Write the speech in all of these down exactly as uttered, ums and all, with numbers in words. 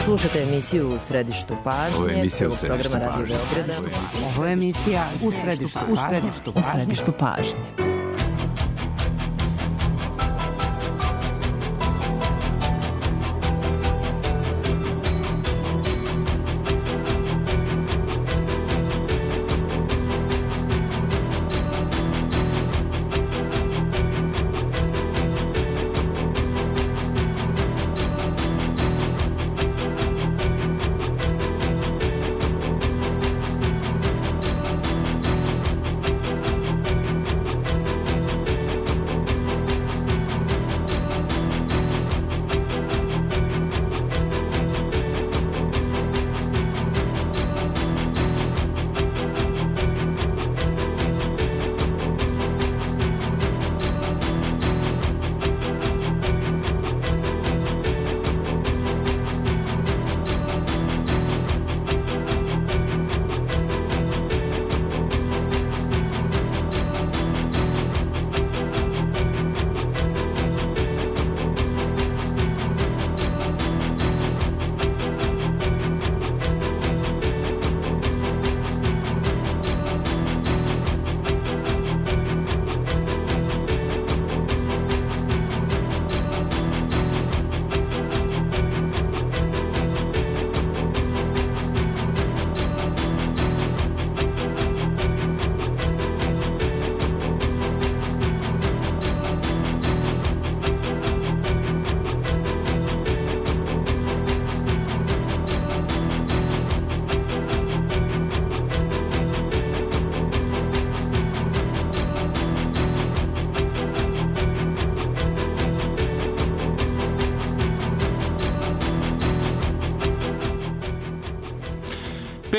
Slušate emisiju U središtu pažnje. Ovo je emisija U središtu programa Radio Beograda. Ovo je emisija U središtu pažnje. U središtu pažnje.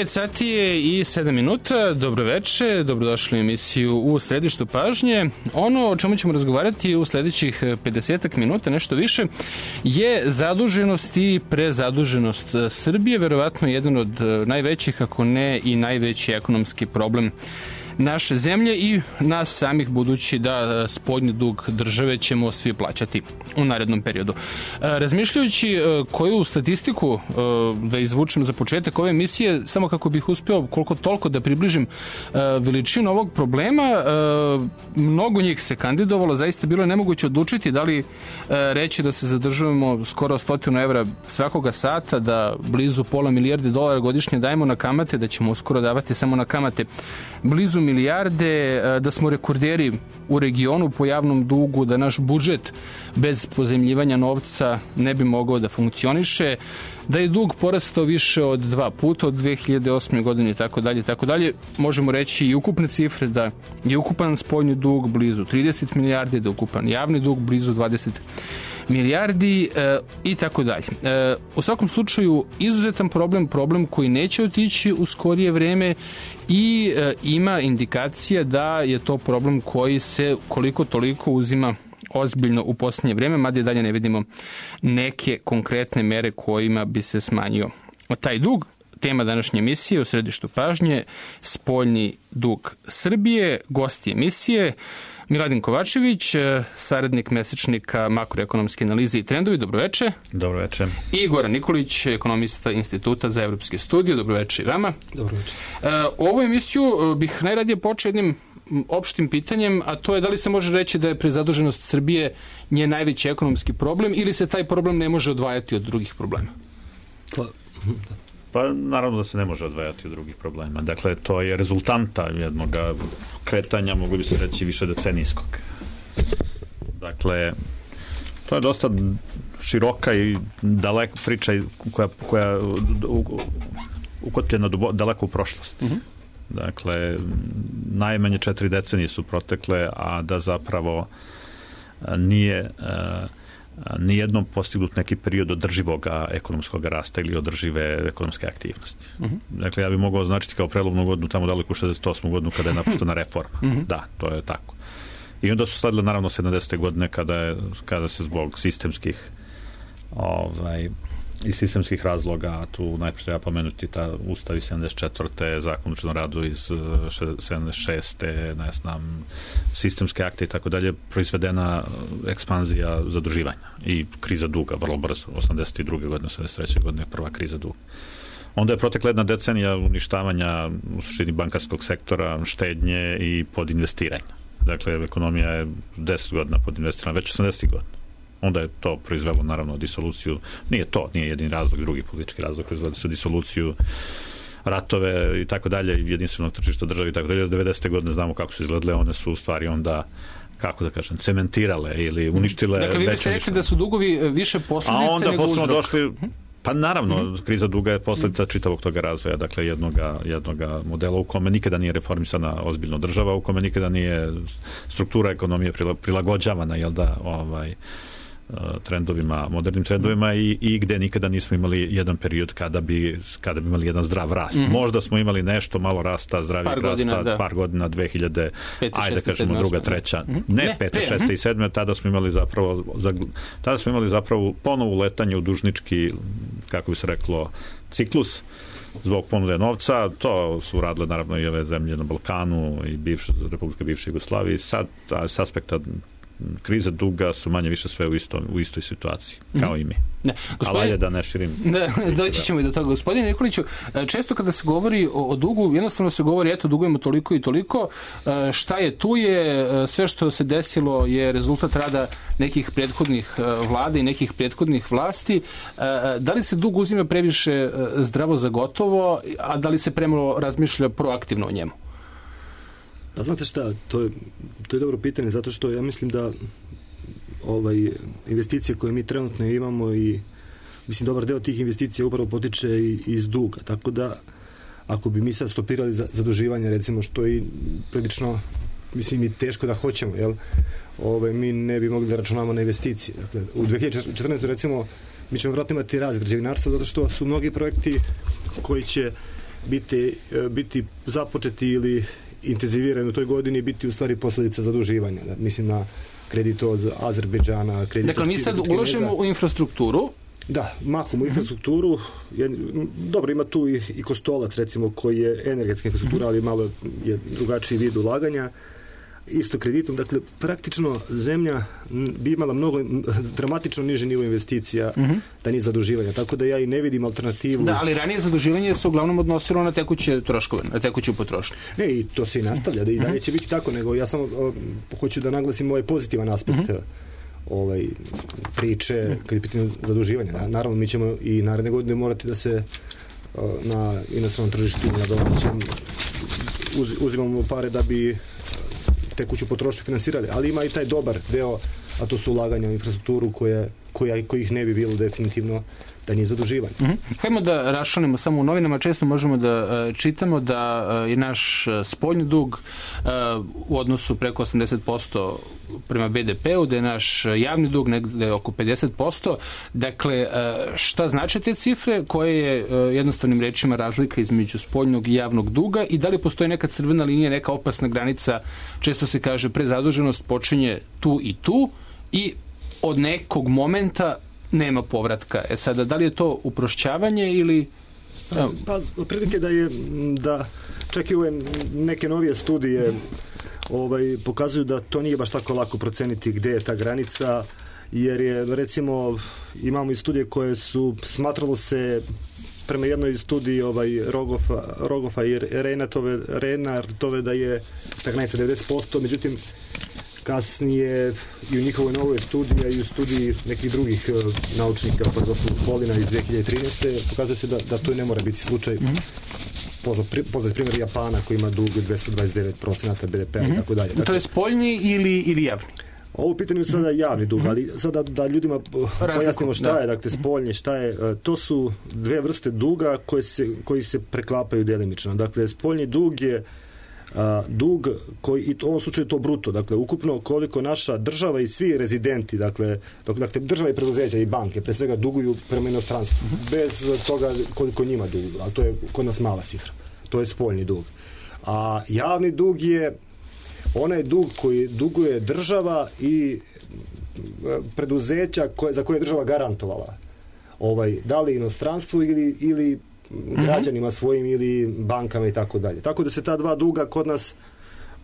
pet sati je i sedam minuta. Dobro veče, dobrodošli u emisiju U središtu pažnje. Ono o čemu ćemo razgovarati u sledećih pedesetak minuta, nešto više, je zaduženost i prezaduženost Srbije, verovatno jedan od najvećih, ako ne i najveći ekonomski problem naše zemlje i nas samih, budući da spoljni dug države ćemo svi plaćati u narednom periodu. Razmišljajući koju statistiku da izvučem za početak ove emisije, samo kako bih uspeo koliko toliko da približim veličinu ovog problema, mnogo njih se kandidovalo, zaista bilo je nemoguće odlučiti da li reći da se zadržujemo skoro stotinu evra svakoga sata, da blizu pola milijarde dolara godišnje dajemo na kamate, da ćemo uskoro davati samo na kamate blizu milijarde, da smo rekorderi u regionu po javnom dugu, da naš budžet bez pozemljivanja novca ne bi mogao da funkcioniše, da je dug porastao više od dva puta od dve hiljade osme godine i tako dalje, tako dalje. Možemo reći i ukupne cifre da je ukupan spoljni dug blizu trideset milijardi, da je ukupan javni dug blizu dvadeset milijardi e, i tako dalje. E, u svakom slučaju izuzetan problem, problem koji neće otići u skorije vreme i e, ima indikacija da je to problem koji se koliko toliko uzima ozbiljno u posljednje vreme, mada i dalje ne vidimo neke konkretne mere kojima bi se smanjio taj dug. Tema današnje emisije U središtu pažnje, spoljni dug Srbije. Gosti emisije Miladin Kovačević, saradnik mesečnika makroekonomske analize i trendovi. Dobroveče. Dobroveče. I Goran Nikolić, ekonomista Instituta za evropske studije. Dobroveče i vama. Dobroveče. Ovu emisiju bih najradije počeo jednim opštim pitanjem, a to je da li se može reći da je prezaduženost Srbije nje najveći ekonomski problem ili se taj problem ne može odvajati od drugih problema? Pa, da. Pa naravno da se ne može odvajati od drugih problema. Dakle, to je rezultanta jednog kretanja, mogu bi se reći, više decenijskog. Dakle, to je dosta široka i daleka priča koja, koja ukotpljena daleko u prošlost. Uh-huh. Dakle, najmanje četiri decenije su protekle, a da zapravo nije nijednom postignut neki period održivog ekonomskog rasta ili održive ekonomske aktivnosti. Uh-huh. Dakle, ja bih mogao označiti kao prelomnu godinu tamo daleko u šezdeset osmu godinu kada je napuštena reforma. Uh-huh. Da, to je tako. I onda su sledile naravno sedamdesete godine kada, je, kada se zbog sistemskih ovaj, iz sistemskih razloga, tu najprije treba pomenuti ta Ustav iz sedamdeset četvrte Zakon o učenom radu iz sedamdeset šeste ne znam, sistemske akte i tako dalje, proizvedena ekspanzija zaduživanja i kriza duga, vrlo brzo, osamdeset druge godine, osamdeset treće godine, prva kriza duga. Onda je protekla jedna decenija uništavanja u suštini bankarskog sektora, štednje i podinvestiranja. Dakle, ekonomija je deset godina podinvestirana, već osamdeset godina. Onda je to proizvelo, naravno, disoluciju. Nije to, nije jedini razlog, drugi politički razlog, proizveli su disoluciju, ratove i tako dalje, jedinstvenog tržišta države i tako dalje. devedesete godine znamo kako su izgledale, one su u stvari onda, kako da kažem, cementirale ili uništile. Dakle, vi biste rekli da su dugovi više posljedice nego uzrok. A onda došli, pa naravno, mm-hmm. kriza duga je posljedica čitavog toga razvoja, dakle jednoga, jednoga modela u kome nikada nije reformisana ozbiljno država, u kome nikada nije struktura ekonomije prilagođavana, jel da, ovaj, trendovima, modernim trendovima i, i gde nikada nismo imali jedan period kada bi, kada bi imali jedan zdrav rast. Mm-hmm. Možda smo imali nešto malo rasta, zdravih par rasta, godina, da. par godina, dve hiljade, ajde da kažemo druga, treća, mm-hmm. ne, ne pete, šeste mm-hmm. i sedme, tada smo imali zapravo, za, tada smo imali zapravo ponovo letanje u dužnički, kako bi se reklo, ciklus zbog ponude novca. To su radile naravno i ove zemlje na Balkanu i bivša, Republika bivše Jugoslavije. Sad, s aspekta kriza duga su manje više sve u, isto, u istoj situaciji, kao i mi. Ne, gospodin, ali da ne širim. Da, doći ćemo i do toga. Gospodine Nikoliću, često kada se govori o, o dugu, jednostavno se govori, eto, dugujemo toliko i toliko, šta je tu je, sve što se desilo je rezultat rada nekih prethodnih vlada i nekih prethodnih vlasti. Da li se dug uzima previše zdravo za gotovo, a da li se premalo razmišlja proaktivno o njemu? Pa znate šta, to je, to je dobro pitanje, zato što ja mislim da ovaj, investicije koje mi trenutno imamo i mislim dobar deo tih investicija upravo potiče i, iz duga, tako da ako bi mi sad stopirali za, zaduživanje, recimo, što je prilično, mislim, i teško da hoćemo, jel? Ovaj, mi ne bi mogli da računamo na investicije. Dakle, u dve hiljade četrnaestoj recimo mi ćemo vjerojatno imati rast građevinarstva zato što su mnogi projekti koji će biti, biti započeti ili intenzivirani u toj godini biti u stvari posljedica zaduživanja. Da, mislim na kredit od Azerbejdžana, kredit dakle, od mi sad uložimo u infrastrukturu. Da, mahom u infrastrukturu. Dobro, ima tu i, i Kostolac, recimo, koji je energetska infrastruktura, ali malo je drugačiji vid ulaganja. Isto kreditom. Dakle, praktično zemlja bi imala mnogo dramatično niže nivo investicija uh-huh. da nije zaduživanja. Tako da ja i ne vidim alternativu. Da, ali ranije zaduživanje se uglavnom odnosilo na tekuće troškove, na tekuću potrošnju. Ne, i to se i nastavlja, da i dalje će biti tako, nego ja samo o, hoću da naglasim ovaj pozitivan aspekt uh-huh. ovaj, priče kad je pitanje zaduživanja. Naravno, mi ćemo i naredne godine morati da se o, na inostranom tržištu, na domaćem uz, uzimamo pare da bi tekuću potrošnju finansirali, ali ima i taj dobar deo, a to su ulaganja u infrastrukturu koje, koja, kojih ne bi bilo definitivno da nije zaduživanje. Mm-hmm. Hajmo da raščlanimo samo u novinama, često možemo da uh, čitamo da uh, je naš uh, spoljni dug uh, u odnosu preko osamdeset posto prema be de pe u, da je naš javni dug negde oko pedeset posto. Dakle, uh, šta znači te cifre, koje je uh, jednostavnim rečima razlika između spoljnog i javnog duga i da li postoji neka crvena linija, neka opasna granica, često se kaže prezaduženost počinje tu i tu i od nekog momenta nema povratka. E sada, da li je to uprošćavanje ili... Pa, pa otprilike da je, da čak i ove neke novije studije ovaj, pokazuju da to nije baš tako lako proceniti gde je ta granica, jer je, recimo, imamo i studije koje su, smatralo se prema jednoj studiji ovaj, Rogofa, Rogofa i Reinartove, Reinartove da je ta granica devedeset posto, međutim kasnije i u njihovoj novoj studiji, a i u studiji nekih drugih uh, naučnika, pa gospodin Polina iz dve hiljade trinaeste pokazuje se da, da to ne mora biti slučaj. Mm-hmm. Poznat, poznat primjer Japana koji ima dug dvesta dvadeset devet posto be de pe mm-hmm. i tako dalje. Dakle, to je spoljni ili, ili javni? Ovo pitanje je sada javni dug, ali sada da ljudima pojasnimo šta da. je, dakle, spoljni, šta je, to su dve vrste duga koje se, koji se preklapaju delimično. Dakle, spoljni dug je a, dug koji, i u ovom slučaju to bruto, dakle, ukupno koliko naša država i svi rezidenti, dakle, dakle država i preduzeća i banke, pre svega duguju prema inostranstvu, bez toga koliko njima duguju, ali to je kod nas mala cifra. To je spoljni dug. A javni dug je onaj dug koji duguje država i preduzeća koje, za koje je država garantovala. ovaj, da li inostranstvu ili, ili građanima svojim ili bankama i tako dalje. Tako da se ta dva duga kod nas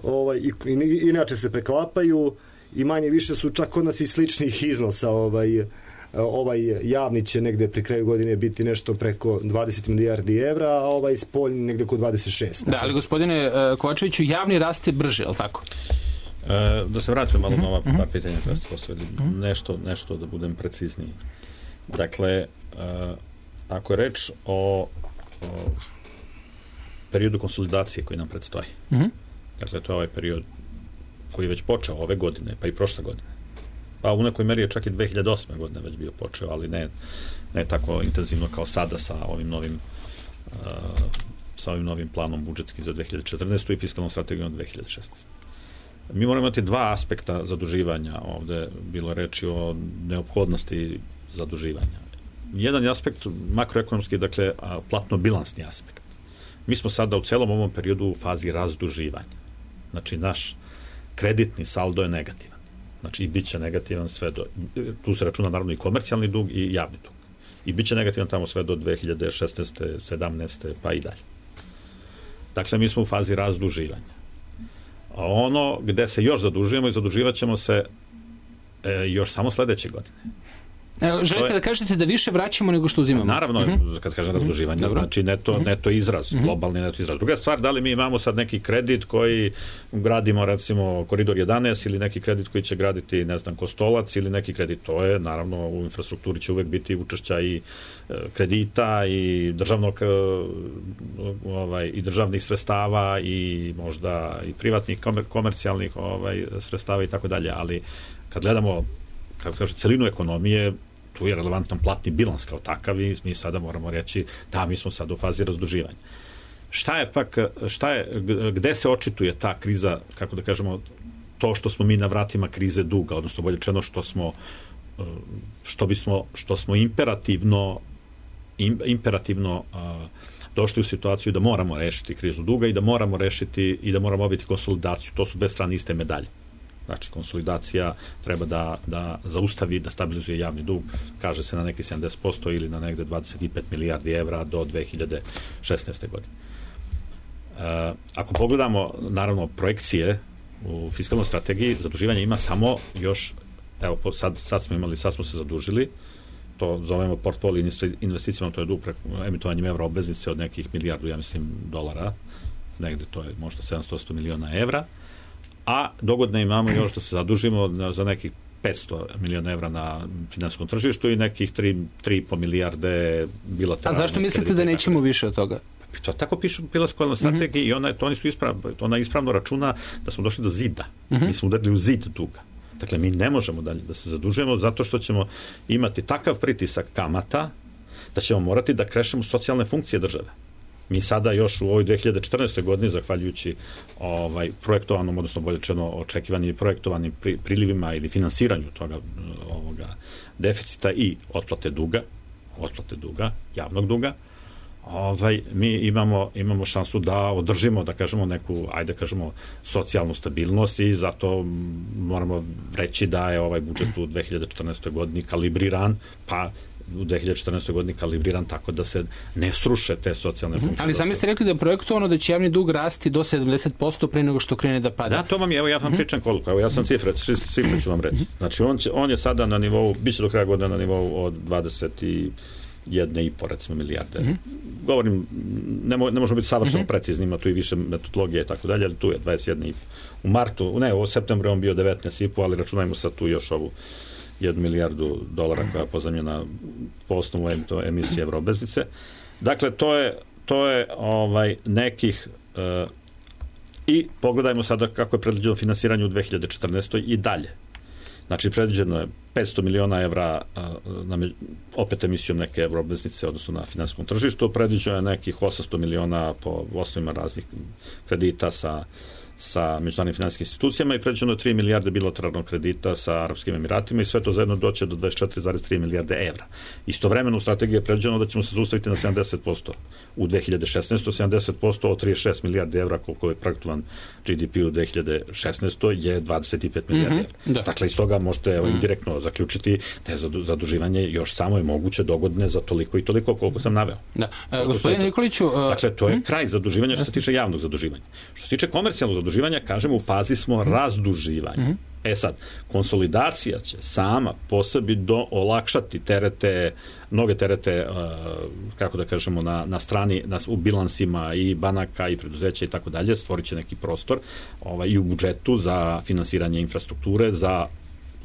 ovaj, i, i, inače se preklapaju i manje više su čak kod nas i sličnih iznosa. Ovaj, ovaj javni će negde pri kraju godine biti nešto preko dvadeset milijardi evra, a ovaj spoljni negde oko dvadeset šest. Da, ali gospodine Kovačeviću, javni raste brže, je li tako? E, da se vratim malo na ova par pitanja koja ste postavili. Nešto, nešto da budem precizniji. Dakle, e, ako je reč o, o periodu konsolidacije koji nam predstoji, mm-hmm. dakle, to je ovaj period koji je već počeo ove godine, pa i prošle godine. Pa u nekoj meri je čak i dve hiljade osme godine već bio počeo, ali ne, ne tako intenzivno kao sada sa ovim novim uh, sa ovim novim planom budžetskim za dve hiljade četrnaestu i fiskalnom strategijom dve hiljade šesnaeste. Mi moramo imati dva aspekta zaduživanja. Ovde bilo reči o neophodnosti zaduživanja. Jedan je aspekt makroekonomski, dakle, platno-bilansni aspekt. Mi smo sada u celom ovom periodu u fazi razduživanja. Znači, naš kreditni saldo je negativan. Znači, i bit će negativan sve do... Tu se računa naravno i komercijalni dug i javni dug. I bit će negativan tamo sve do dve hiljade šesnaeste, sedamnaeste pa i dalje. Dakle, mi smo u fazi razduživanja. A ono gde se još zadužujemo i zaduživat ćemo se e, još samo sledeće godine. Evo, želite je, da kažete da više vraćamo nego što uzimamo? Naravno, uh-huh. kad kažem razduživanje, uh-huh. znači neto, uh-huh. neto izraz, uh-huh. globalni neto izraz. Druga stvar, da li mi imamo sad neki kredit koji gradimo, recimo, Koridor jedanaest ili neki kredit koji će graditi, ne znam, Kostolac ili neki kredit, to je, naravno, u infrastrukturi će uvek biti učešća i e, kredita i državnog, e, ovaj, i državnih sredstava i možda i privatnih komer, komercijalnih ovaj, sredstava i tako dalje, ali kad gledamo, kako kaže, celinu ekonomije, tu je relevantan platni bilans kao takav i mi sada moramo reći da mi smo sad u fazi razduživanja. Šta je pak, šta je, gde se očituje ta kriza, kako da kažemo, to što smo mi na vratima krize duga, odnosno bolje rečeno što smo što bismo, što smo imperativno imperativno došli u situaciju da moramo rešiti krizu duga i da moramo rešiti i da moramo obaviti konsolidaciju. To su dve strane iste medalje. Znači, konsolidacija treba da, da zaustavi, da stabilizuje javni dug, kaže se na neki sedamdeset posto ili na negde dvadeset pet milijardi evra do dve hiljade šesnaeste. godine. E, ako pogledamo, naravno, projekcije u fiskalnoj strategiji, zaduživanje ima samo još, evo, sad, sad smo imali, sad smo se zadužili, to zovemo portfolio investicijama, to je dug emitovanjem evra obveznice od nekih milijardu, ja mislim, dolara, negde to je možda sedamsto miliona evra, a dogodne imamo još da se zadužimo za nekih petsto miliona evra na finansijskom tržištu i nekih tri i po milijarde bilateralnih. A zašto mislite da nećemo više od toga? To tako pišu u fiskalnoj strategiji mm-hmm. i ona, to oni su ispravno, ona ispravno računa da smo došli do zida. Mm-hmm. Mi smo udarili u zid duga. Dakle, mi ne možemo dalje da se zadužujemo zato što ćemo imati takav pritisak kamata da ćemo morati da krešemo socijalne funkcije države. Mi sada još u ovoj dve hiljade četrnaestoj. godini, zahvaljujući ovaj, projektovanom, odnosno bolje rečeno očekivanim i projektovanim pri, prilivima ili finansiranju toga ovoga deficita i otplate duga, otplate duga, javnog duga, ovaj, mi imamo, imamo šansu da održimo, da kažemo, neku, ajde kažemo, socijalnu stabilnost i zato moramo reći da je ovaj budžet u dve hiljade četrnaestoj. godini kalibriran, pa u dve hiljade četrnaestoj. godini kalibriran tako da se ne sruše te socijalne funkcije. Ali sami ste rekli da je projektovano da će javni dug rasti do sedamdeset posto pre nego što krene da pada. Da, to vam je, evo ja vam pričam koliko, evo ja sam cifre, cifre ću vam reći. Znači on, će, on je sada na nivou, bit će do kraja godina na nivou od dvadeset jedna i po recimo milijarde. Mm-hmm. Govorim, ne, mo, ne možemo biti savršeno mm-hmm. precizni, ima tu i više metodologije i tako dalje, ali tu je dvadeset jedna i po. U martu, ne, u septembru on bio devetnaest i po, ali računajmo sad tu još ovu jednu milijardu dolara koja je pozajmljena po osnovu emisije evroobveznice. Dakle, to je, to je ovaj nekih uh, i pogledajmo sada kako je predviđeno finansiranje u dve hiljade četrnaestoj. i dalje. Znači, predviđeno je petsto miliona evra uh, na, opet emisijom neke evroobveznice, odnosno na finansijskom tržištu, predviđeno je nekih osamsto miliona po osnovima raznih kredita sa sa međunarodnim finansijskim institucijama i pređeno tri milijarde bilateralnog kredita sa Arapskim Emiratima i sve to zajedno doće do dvadeset četiri zarez tri milijarde evra. Istovremeno u strategiji je pređeno da ćemo se zaustaviti na sedamdeset posto u dve hiljade šesnaestoj. sedamdeset posto od trideset šest milijardi evra koliko je projektovan G D P u dve hiljade šesnaestoj je dvadeset pet milijardi mm-hmm, evra. Da. Dakle, iz toga možete evo, mm. direktno zaključiti da je zaduživanje još samo je moguće dogodne za toliko i toliko koliko sam naveo. Da. E, gospodine Nikoliću... Uh... Dakle, to je mm. kraj zaduživanja što se tiče javnog zaduživanja. Što se tiče komercijalnog zaduživanja, kažemo, u fazi smo mm. razduživanja. Mm-hmm. E sad, konsolidacija će sama po sebi do olakšati terete, mnoge terete, uh, kako da kažemo, na, na strani, na, u bilansima i banaka i preduzeća i tako dalje, stvorit će neki prostor ovaj, i u budžetu za finansiranje infrastrukture, za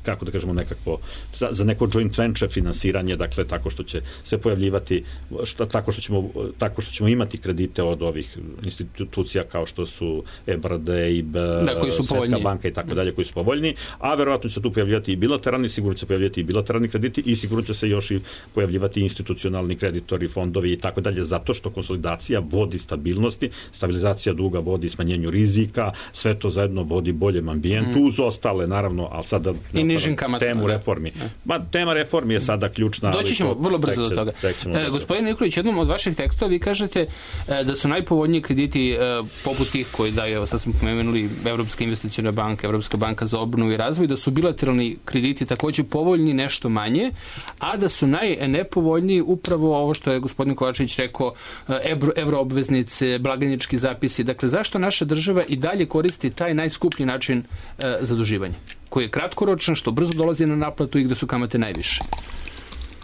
kako da kažemo nekako, za, za neko joint venture finansiranje, dakle tako što će se pojavljivati, šta, tako, što ćemo, tako što ćemo imati kredite od ovih institucija kao što su E B R D, E I B, da, Svetska banka i tako dalje, koji su povoljni, a verovatno će se tu pojavljati i bilateralni, sigurno će se pojavljati i bilateralni krediti i sigurno će se još i pojavljivati institucionalni kreditori, fondovi i tako dalje, zato što konsolidacija vodi stabilnosti, stabilizacija duga vodi smanjenju rizika, sve to zajedno vodi boljem ambijentu, mm. uz ostale, naravno, ali sada temu reformi. Ma, tema reformi je sada ključna. Doći ćemo vrlo brzo do toga. E, gospodin Nikolić, jednom od vaših tekstova vi kažete e, da su najpovoljniji krediti e, poput tih koji daju, sad smo pomenuli, Evropska investiciona banka, Evropska banka za obnovu i razvoj, da su bilateralni krediti također povoljni nešto manje, a da su najnepovoljniji upravo ovo što je gospodin Kovačević rekao, evro, evroobveznice, blagajnički zapisi. Dakle, zašto naša država i dalje koristi taj najskuplji način e, zaduživanja, koji je kratkoročan, što brzo dolazi na naplatu i gde su kamate najviše?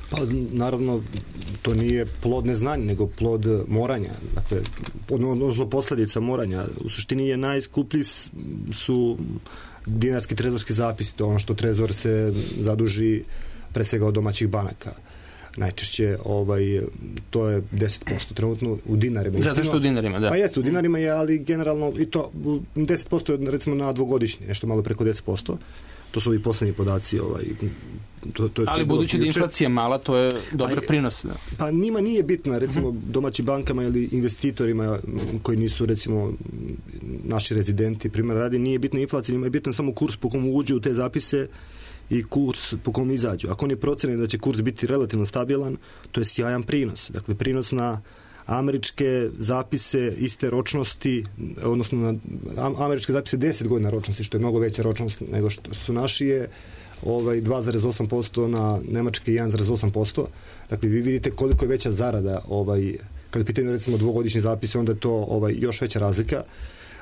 Pa, naravno, to nije plod neznanja, nego plod moranja. Dakle, odnosno posljedica moranja. U suštini je najskuplji su dinarski trezorski zapisi, to ono što trezor se zaduži pre svega od domaćih banaka. Najčešće ovaj, to je deset posto trenutno u dinarima. Zato što u dinarima, da. Pa jeste, u dinarima je, ali generalno i to deset posto je recimo na dvogodišnji, nešto malo preko deset posto. To su ovi posljednji podaci. Ovaj, to, to je ali budući da inflacija mala, to je dobar prinos. Da. Pa njima nije bitno, recimo domaćim bankama ili investitorima koji nisu recimo naši rezidenti, primjer radi, nije bitna inflacija, njima je bitan samo kurs po komu uđu u te zapise i kurs po kom izađu. Ako on je procenjen da će kurs biti relativno stabilan, to je sjajan prinos. Dakle, prinos na američke zapise iste ročnosti, odnosno na američke zapise deset godina ročnosti, što je mnogo veća ročnost nego što su naši, je ovaj, dva zarez osam posto, na nemačke jedan zarez osam posto. Dakle, vi vidite koliko je veća zarada, ovaj, kada pitaju recimo dvogodišnji zapise, onda je to ovaj, još veća razlika.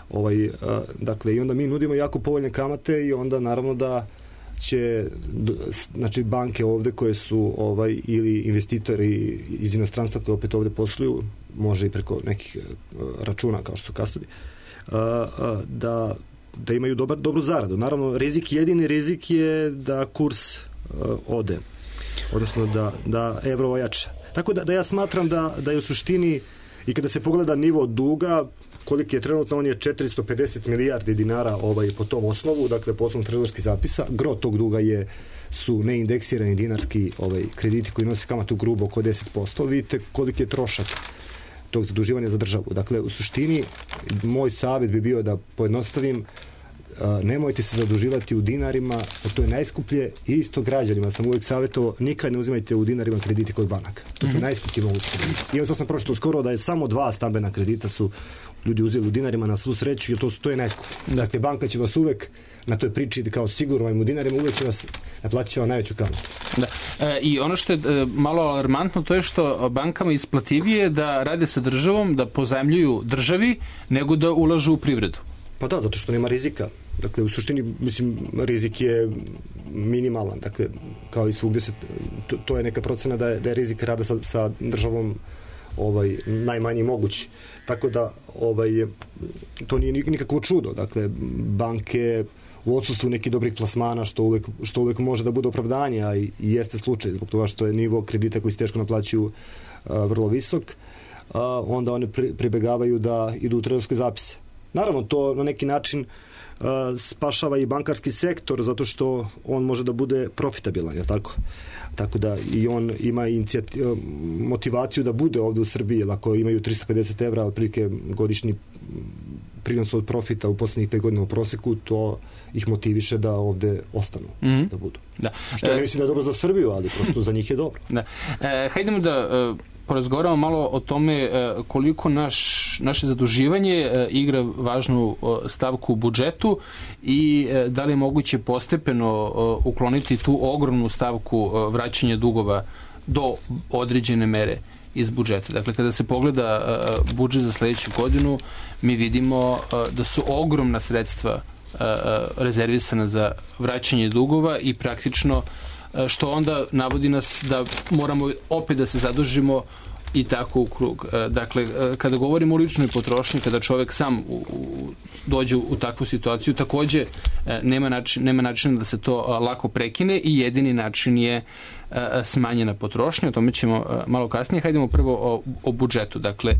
Ovaj, a, dakle, i onda mi nudimo jako povoljne kamate i onda naravno da će, znači banke ovde koje su ovaj, ili investitori iz inostranstva koji opet ovde posluju, može i preko nekih računa kao što su kastodi, da, da imaju dobar, dobru zaradu. Naravno, rizik, jedini rizik je da kurs ode, odnosno da, da evro ojača. Tako da, da ja smatram da, da je u suštini i kada se pogleda nivo duga, koliki je trenutno, on je četiristo pedeset milijardi dinara ovaj, po tom osnovu, dakle po osnovu trezorskih zapisa. Gro tog duga je, su neindeksirani dinarski ovaj, krediti koji nose kamatu grubo oko deset posto. Vidite koliki je trošak tog zaduživanja za državu. Dakle, u suštini, moj savjet bi bio da pojednostavim, a, nemojte se zaduživati u dinarima, to je najskuplje, i isto građanima sam uvijek savjetovao, nikad ne uzimajte u dinarima krediti kod banaka. To su mm-hmm. najskuplji mogući krediti. I evo sad sam pročitao skoro da je samo dva stambena kredita su ljudi uzeli u dinarima, na svu sreću, jer to, to je najskuplje. Dakle, banka će vas uvek na toj priči kao sigurno vam u dinarima, uvek će vas naplatit će vam najveću kamatu. Da. E, I ono što je e, malo alarmantno, to je što bankama isplativije da rade sa državom, da pozajmljuju državi, nego da ulažu u privredu. Pa da, zato što nema rizika. Dakle, u suštini, mislim, rizik je minimalan. Dakle, kao i svugde se, to, to je neka procena da je, da je rizik rada sa, sa državom ovaj, najmanji mogući. Tako da ovaj, to nije nikakvo čudo. Dakle, banke u odsustvu nekih dobrih plasmana, što uvek, što uvek može da bude opravdanje, a i, i jeste slučaj, zbog toga što je nivo kredita koji se teško naplaćuju a, vrlo visok, a, onda oni pri, pribegavaju da idu u trezorske zapise. Naravno, to na neki način spašava i bankarski sektor zato što on može da bude profitabilan, je tako? Tako da i on ima motivaciju da bude ovde u Srbiji, jer ako imaju tristo pedeset evra otprilike godišnji prinos od profita u poslednjih pet godina u proseku, to ih motiviše da ovde ostanu, mm-hmm. da budu. Da. Što ja mislim da je dobro za Srbiju, ali prosto za njih je dobro. Da. E, hajdemo da e, porazgovaramo malo o tome e, koliko naš, naše zaduživanje e, igra važnu e, stavku u budžetu i e, da li je moguće postepeno e, ukloniti tu ogromnu stavku e, vraćanja dugova do određene mere iz budžeta. Dakle, kada se pogleda uh, budžet za sledeću godinu, mi vidimo uh, da su ogromna sredstva uh, rezervisana za vraćanje dugova i praktično uh, što onda navodi nas da moramo opet da se zadužimo i tako u krug. Uh, dakle, uh, kada govorimo o ličnoj potrošnji, kada čovek sam u, u, dođe u takvu situaciju, takođe uh, nema, način, nema načina da se to uh, lako prekine i jedini način je smanjena potrošnja, o tome ćemo malo kasnije. Hajdemo prvo o, o budžetu. Dakle,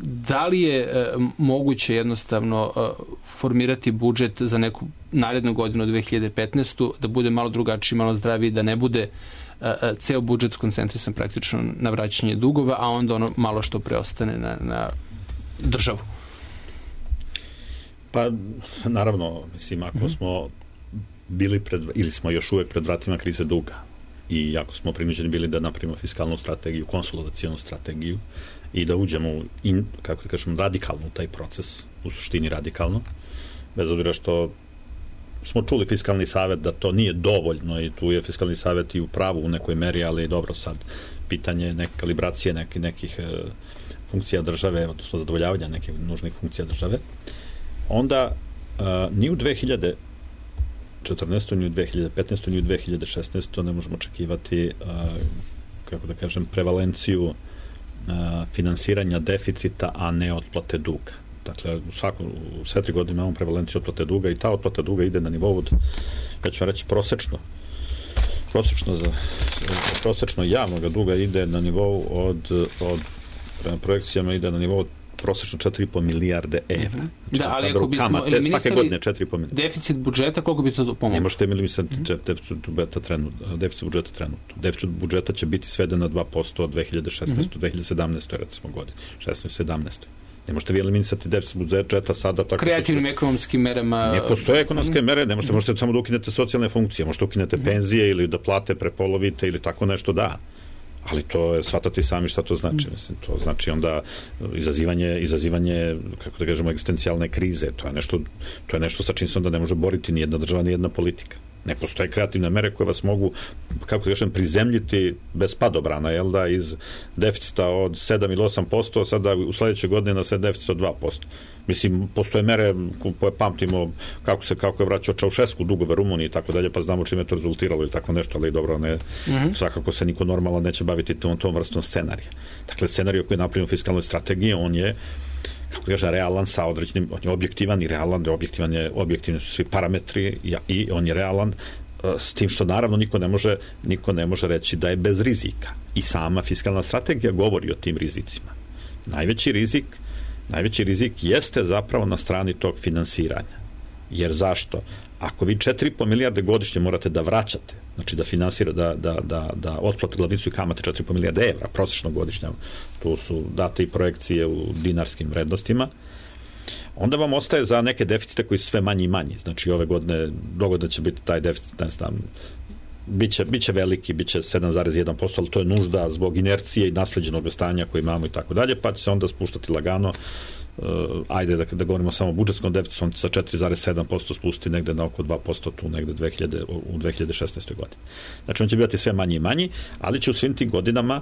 da li je moguće jednostavno formirati budžet za neku narednu godinu dve hiljade petnaestu da bude malo drugačiji, malo zdraviji, da ne bude ceo budžet skoncentrisan praktično na vraćanje dugova, a onda ono malo što preostane na, na državu? Pa, naravno, mislim, ako mm-hmm. smo bili pred, ili smo još uvek pred vratima krize duga i jako smo prinuđeni bili da napravimo fiskalnu strategiju, konsolidacionu strategiju i da uđemo u, in, kako da kažem, radikalno u taj proces, u suštini radikalno, bez obzira što smo čuli fiskalni savet da to nije dovoljno i tu je fiskalni savet i u pravu u nekoj meri, ali dobro sad pitanje neke kalibracije nekih, nekih e, funkcija države, odnosno zadovoljavanja nekih nužnih funkcija države, onda e, ni u dve hiljade četrnaestoj ni u dve hiljade petnaestoj ni u dve hiljade šesnaestoj ne možemo očekivati a, kako da kažem prevalenciju a, finansiranja deficita, a ne otplate duga. Dakle, u svakom u sve tri godine imamo prevalenciju otplate duga i ta otplata duga ide na nivou od, ja ću reći, prosečno prosečno za prosečno javnog duga ide na nivou od, od prema projekcijama ide na nivou od prosečno četiri i po milijarde evra. Znači, da, ali ako bismo eliminisali deficit budžeta, koliko bi to pomoglo? Ne možete eliminisati mm-hmm. deficit budžeta trenutno. Deficit budžeta trenutno. Deficit budžeta će biti sveden na dva posto od dve hiljade šesnaeste. Mm-hmm. dve hiljade sedamnaeste. recimo godine. šesnaeste. sedamnaeste. Ne možete vi eliminisati deficit budžeta sada tako. Kreativnim što... ekonomskim merama. Ne postoje ekonomske mm-hmm. mere, ne možete, možete samo da ukinete socijalne funkcije, možete ukinete mm-hmm. penzije ili da plate prepolovite ili tako nešto, da. Ali to je, shvatati sami šta to znači. Mislim, to znači onda izazivanje, izazivanje, kako da kažemo, egzistencijalne krize. To je nešto, to je nešto sa čim se onda ne može boriti ni jedna država, ni jedna politika. Ne postoje kreativne mere koje vas mogu, kako da kažem, prizemljiti bez padobrana, jel da, iz deficita od sedam ili osam posto, sada u sledećoj godini na sve deficit od dva posto. Mislim, postoje mere koje pamtimo kako se kako je vraćao Čaušesku dugove Rumuniji i tako dalje, pa znamo čime je to rezultiralo ili tako nešto, ali dobro, ne, mm-hmm. svakako se niko normalno neće baviti tom, tom vrstom scenarija. Dakle, scenarij koji je napravljen u fiskalnoj strategiji, on je, kako kaže, realan sa određenim, on je objektivan i realan, objektivan je, objektivni su svi parametri i, i on je realan, s tim što naravno niko ne može, niko ne može reći da je bez rizika. I sama fiskalna strategija govori o tim rizicima. Najveći rizik Najveći rizik jeste zapravo na strani tog finansiranja. Jer zašto? Ako vi četiri i po milijarde godišnje morate da vraćate, znači da finansira, da, da, da, da otplate glavnicu i kamate četiri i po milijarde evra, prosečno godišnja, tu su date i projekcije u dinarskim vrednostima, onda vam ostaje za neke deficite koji su sve manji i manji. Znači ove godine dogodno će biti taj deficit, ne znam, biće, biće veliki, biće sedam zarez jedan posto, ali to je nužda zbog inercije i nasleđenog stanja koje imamo i tako dalje, pa će se onda spuštati lagano, uh, ajde da, da govorimo samo o budžetskom deficitu, on će sa četiri zarez sedam posto spustiti negde na oko dva posto tu negde dve hiljade, u dve hiljade šesnaestoj godini. Znači on će biti sve manji i manji, ali će u svim tim godinama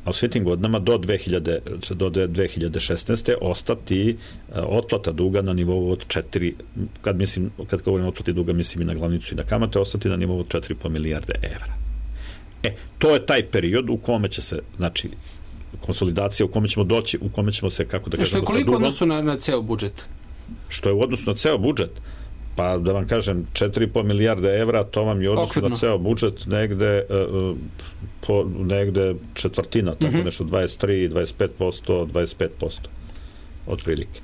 a u svim tim godinama do, dve hiljade, do dve hiljade šesnaeste. ostati uh, otplata duga na nivou od četiri, kad, mislim, kad govorim o otplati duga, mislim i na glavnicu i na kamate, ostati na nivou od četiri i po milijarde evra. E, to je taj period u kome će se, znači, konsolidacija, u kome ćemo doći, u kome ćemo se, kako da kažemo, sa dugom. Što je koliko odnosu na, na ceo budžet? Što je u odnosu na ceo budžet? Pa da vam kažem, četiri i po milijarde evra, to vam je odnosno na ceo budžet negde, uh, po, negde četvrtina, tako mm-hmm. nešto dvadeset tri, dvadeset pet posto, dvadeset pet posto otprilike.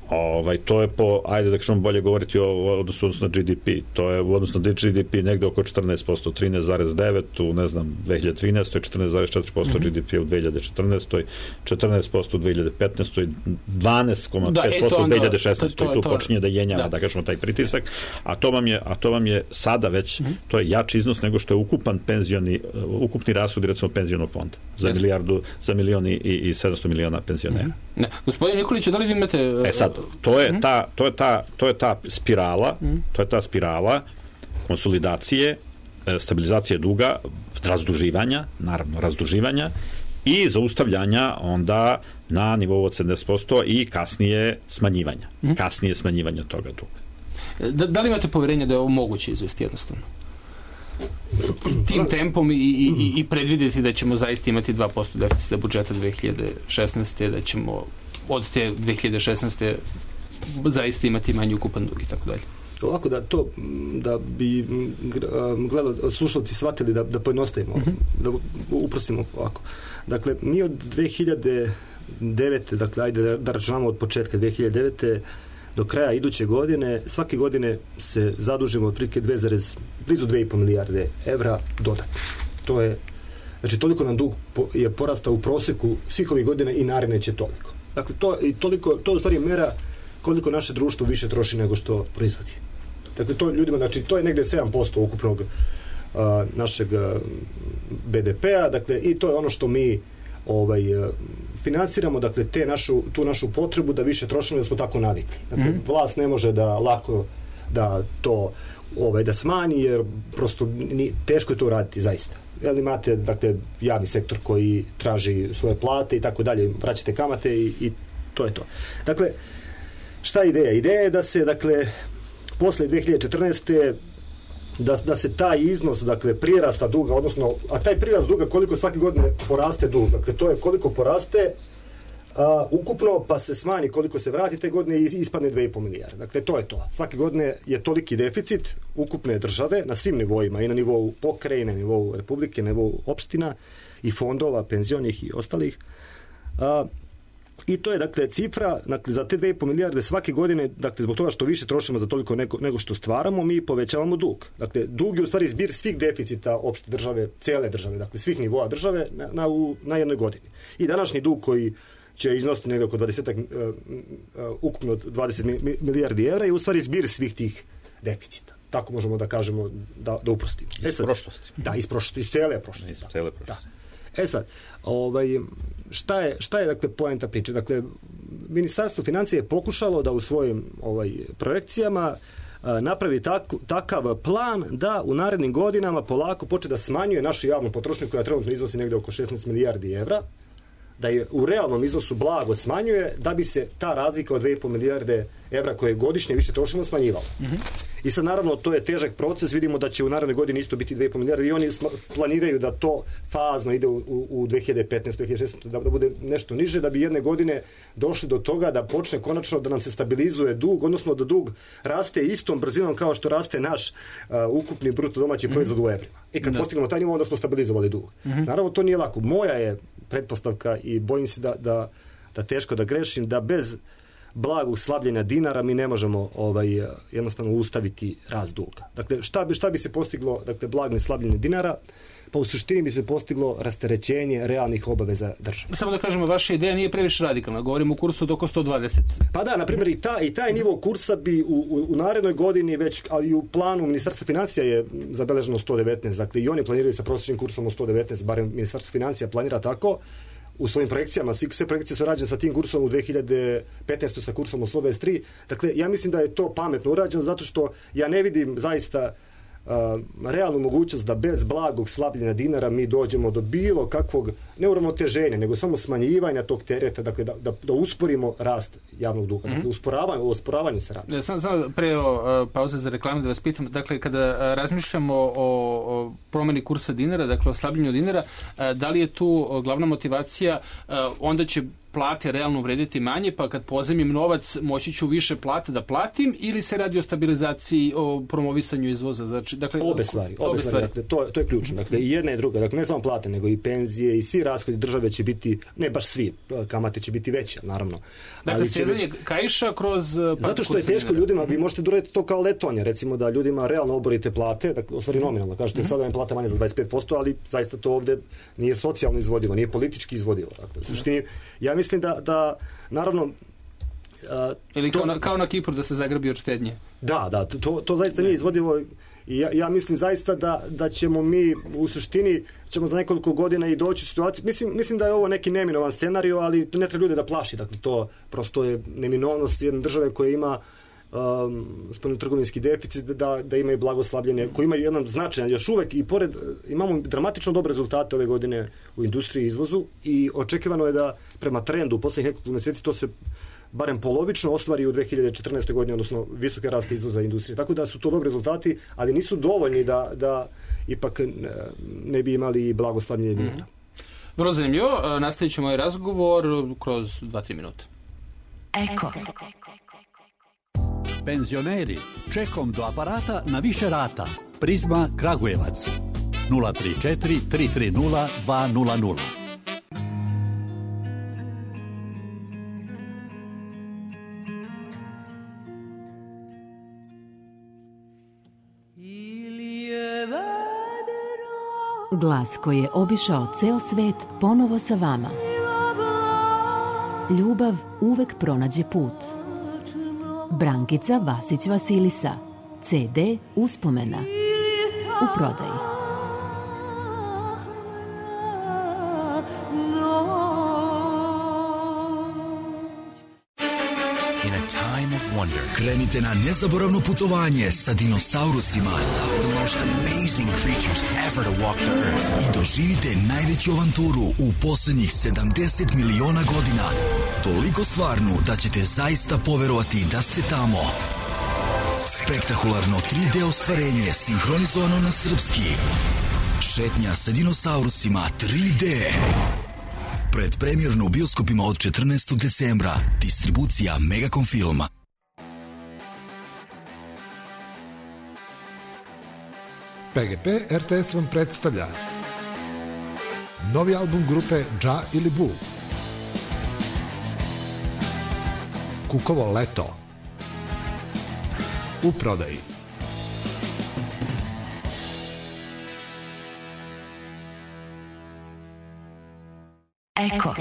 Ovaj, to je po, ajde da kažemo bolje govoriti o odnosu na G D P. To je u odnosu na G D P negde oko četrnaest posto, trinaest zarez devet u, ne znam, dve hiljade trinaestoj, četrnaest zarez četiri posto mm-hmm. G D P u dve hiljade četrnaestoj, četrnaest posto u dve hiljade petnaestoj, dvanaest zarez pet posto u dve hiljade šesnaestoj. Tu počinje da jenjava, da. da kažemo, taj pritisak. A to vam je, a to vam je sada već, mm-hmm. to je jači iznos nego što je ukupan penzioni, ukupni rashod, recimo, penzionog fonda. Za yes. milijardu, za milioni i, i sedamsto miliona penzionera. Mm-hmm. Ne. Gospodin Nikolić, da li vi imate... E sad, to je ta, to je ta, to je ta spirala, to je ta spirala konsolidacije, stabilizacije duga, razduživanja, naravno razduživanja i zaustavljanja onda na nivou od sedamdeset posto i kasnije smanjivanja. Kasnije smanjivanja toga duga. Da, da li imate poverenje da je ovo moguće izvesti jednostavno? Tim tempom i, i, i predvidjeti da ćemo zaista imati dva posto deficita budžeta dve hiljade šesnaeste. da ćemo od te dve hiljade šesnaeste. zaista imati manji ukupan dug i tako dalje. Ovako da to, da bi gledali, slušalci shvatili da, da pojednostavimo, mm-hmm. da uprostimo ovako. Dakle, mi od dve hiljade devete, dakle, ajde da, da računamo od početka dve hiljade devete do kraja iduće godine, svake godine se zadužimo otprilike dve zarez blizu dve i po milijarde evra dodatno. To je, znači, toliko nam dug je porastao u proseku svih ovih godina i naredne će toliko. Dakle, to, i toliko, to u stvari mera koliko naše društvo više troši nego što proizvodi. Dakle, to ljudima, znači, to je negde sedam posto ukupnog uh, našeg uh, B D P-a, dakle, i to je ono što mi ovaj, uh, finansiramo, dakle, te našu, tu našu potrebu da više trošimo, da smo tako navikli. Dakle, mm-hmm. vlast ne može da lako da to ovaj, da smanji, jer prosto ni, teško je to raditi, zaista. Jel imate, dakle, javni sektor koji traži svoje plate i tako dalje, vraćate kamate i, i to je to. Dakle, šta je ideja? Ideja je da se, dakle, posle dve hiljade četrnaeste. Da, da se taj iznos, dakle, prirasta duga, odnosno, a taj prirast duga koliko svake godine poraste dug, dakle, to je koliko poraste a, ukupno, pa se smanji koliko se vrati te godine i ispadne dve i po milijarde. Dakle, to je to. Svake godine je toliki deficit ukupne države na svim nivoima, i na nivou pokrajine, na nivou republike, na nivou opština i fondova, penzionih i ostalih. A, I to je, dakle, cifra, dakle, za te dve i po milijarde svake godine, dakle, zbog toga što više trošimo za toliko nego, nego što stvaramo, mi povećavamo dug. Dakle, dug je u stvari zbir svih deficita opšte države, cele države, dakle, svih nivoa države na, na, u, na jednoj godini. I današnji dug koji će iznositi negdje oko dvadeset, uh, uh, ukupno dvadeset milijardi evra je u stvari zbir svih tih deficita. Tako možemo da kažemo, da, da uprostimo. Iz e sad, prošlosti. Da, iz prošlosti, iz cele prošlosti. Iz cele prošlosti. Da. E sad, ovaj, šta je, šta je dakle, poenta priče? Dakle, Ministarstvo financija je pokušalo da u svojim ovaj, projekcijama a, napravi tak, takav plan da u narednim godinama polako počne da smanjuje našu javnu potrošnju koja trenutno iznosi negde oko šesnaest milijardi evra, da je u realnom iznosu blago smanjuje, da bi se ta razlika od dve i po milijarde evra koje godišnje više trošimo smanjivala. Mm-hmm. I sad, naravno, to je težak proces, vidimo da će u narednoj godini isto biti dve i po milijarde i oni planiraju da to fazno ide u, u, u dve hiljade petnaeste. dve hiljade šesnaeste. Da, da bude nešto niže, da bi jedne godine došli do toga da počne konačno da nam se stabilizuje dug, odnosno da dug raste istom brzinom kao što raste naš uh, ukupni bruto domaći proizvod mm-hmm. u evrima. I kad da. postignemo taj nivo, onda smo stabilizovali dug. Mm-hmm. Naravno, to nije lako. Moja je pretpostavka i bojim se da, da, da teško da grešim, da bez blagog slabljenja dinara mi ne možemo ovaj, jednostavno ustaviti rast duga. Dakle, šta bi, šta bi se postiglo, dakle, blagne slabljenje dinara? Pa u suštini bi se postiglo rasterećenje realnih obaveza države. Samo da kažemo, vaša ideja nije previše radikalna. Govorimo o kursu od oko sto dvadeset. Pa da, na primjer, i, ta, i taj nivo kursa bi u, u, u narednoj godini već, ali i u planu Ministarstva financija je zabeleženo sto devetnaest. Dakle, i oni planiraju sa prosječnim kursom od sto devetnaest, barem Ministarstvo financija planira tako. U svojim projekcijama, sve projekcije su rađene sa tim kursom u dve hiljade petnaestoj sa kursom od sto dvadeset tri. Dakle, ja mislim da je to pametno urađeno zato što ja ne vidim zaista uh, realnu mogućnost da bez blagog slabljenja dinara mi dođemo do bilo kakvog neuravnoteženja, nego samo smanjivanja tog tereta, dakle da, da, da usporimo rast javnog duga. Dakle, usporavanje, o usporavanju se radi. Da, sam, sam pre o, pauze za reklamu da vas pitam, dakle, kada razmišljamo o, o promeni kursa dinara, dakle, o slabljenju dinara, da li je tu glavna motivacija, onda će plate realno vrediti manje, pa kad pozemim novac moći ću više plate da platim, ili se radi o stabilizaciji, o promovisanju izvoza? Znači, dakle, obe stvari. Obe, obe stvari. Dakle, to, to je ključno. Dakle, i jedna i druga. Dakle, ne samo plate, nego i penzije i svi rashodi države će biti, ne baš svi, kamate će biti veće, naravno. Dakle, stezanje već... kaiša kroz... Zato što je teško ljudima, vi možete doraditi to kao letonja, recimo da ljudima realno oborite plate, dakle, u stvari nominalno, kažete mm-hmm. sada vam plata manje za dvadeset pet posto, ali zaista to ovde nije socijalno izvodivo, nije politički izvodivo. Dakle, u suštini, ja mislim da, da naravno... Uh, Ili to, kao, na, kao na Kipru da se zagrabi od štednje. Da, da, to, to zaista nije izvodivo i ja, ja mislim zaista da, da ćemo mi u suštini ćemo za nekoliko godina i doći u situaciju. Mislim, mislim da je ovo neki neminovan scenario, ali to ne treba ljude da plaši. Dakle, to prosto je neminovnost jedne države koja ima um, spoljnotrgovinski deficit, da, da imaju blagoslabljenje, koji imaju jedan značajan još uvek i pored, imamo dramatično dobre rezultate ove godine u industriji i izvozu i očekivano je da prema trendu u poslednjih nekoliko meseci to se barem polovično ostvari u dve hiljade četrnaestoj godini, odnosno visoke raste izvoza industrije. Tako da su to dobri rezultati, ali nisu dovoljni da, da ipak ne bi imali blagoslavljenje dinara. Mm. Vrlo zanimljivo. Nastavit ćemo ovaj razgovor kroz dva do tri minuta. Eko. Penzioneri, čekom do aparata na više rata. Prizma Kragujevac. nula tri četiri tri tri nula dva nula nula. Glas koji je obišao ceo svet ponovo sa vama. Ljubav uvek pronađe put. Brankica Vasić Vasilisa. ce de Uspomena. U prodaji. Krenite na nezaboravno putovanje sa dinosaurusima. The most amazing creatures ever to walk the earth. I doživite najveću avanturu u poslednjih sedamdeset miliona godina. Toliko stvarnu da ćete zaista poverovati da ste tamo. Spektakularno tri de ostvarenje sinhronizovano na srpski. Šetnja sa dinosaurusima tri de. Predpremjerno u bioskopima od četrnaestog decembra. Distribucija Megacom Filma. P G P R T S vam predstavlja novi album grupe Dža ili Bu. Kukovo leto. U prodaji. Eko.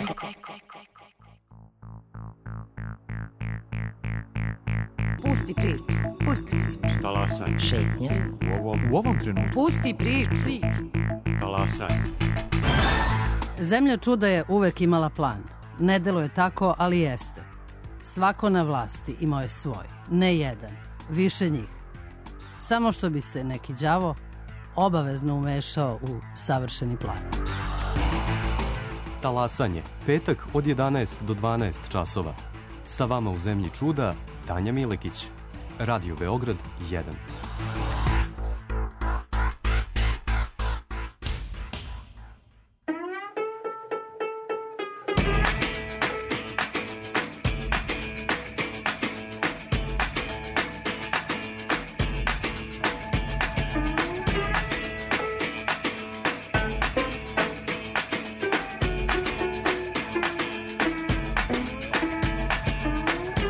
Pusti priču, pusti priču. Talasanje. Šetnja. U ovom, u ovom trenutku. Pusti priču. Talasanje. Zemlja čuda je uvek imala plan. Ne deluje tako, ali jeste. Svako na vlasti imao je svoj. Ne jedan, više njih. Samo što bi se neki đavo obavezno umešao u savršeni plan. Talasanje. Petak od jedanaest do dvanaest časova. Sa vama u Zemlji čuda, Tanja Milekić. Radio Beograd jedan.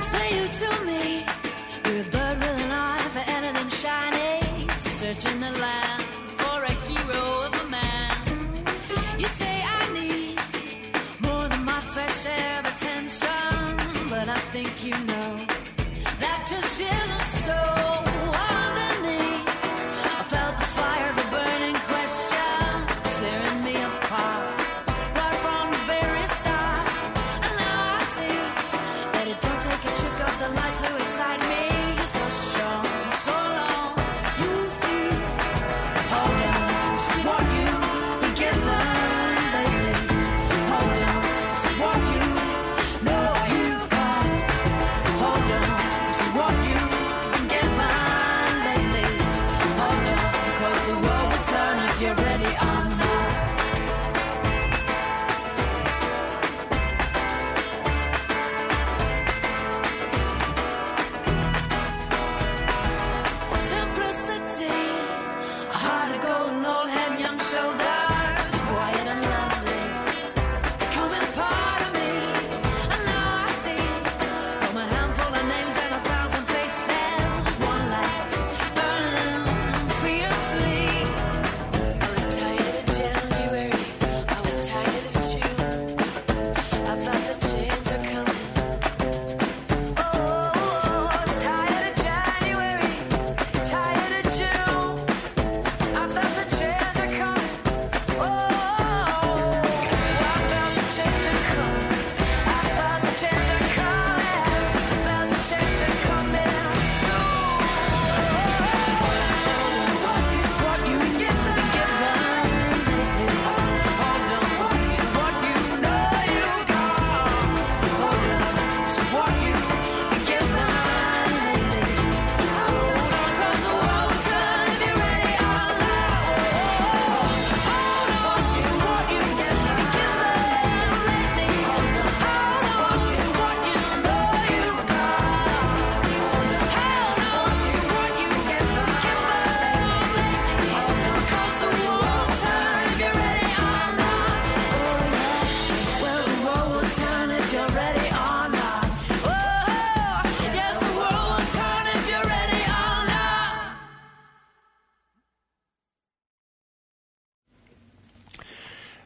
Say you to me, you're a bird with an eye for anything shiny.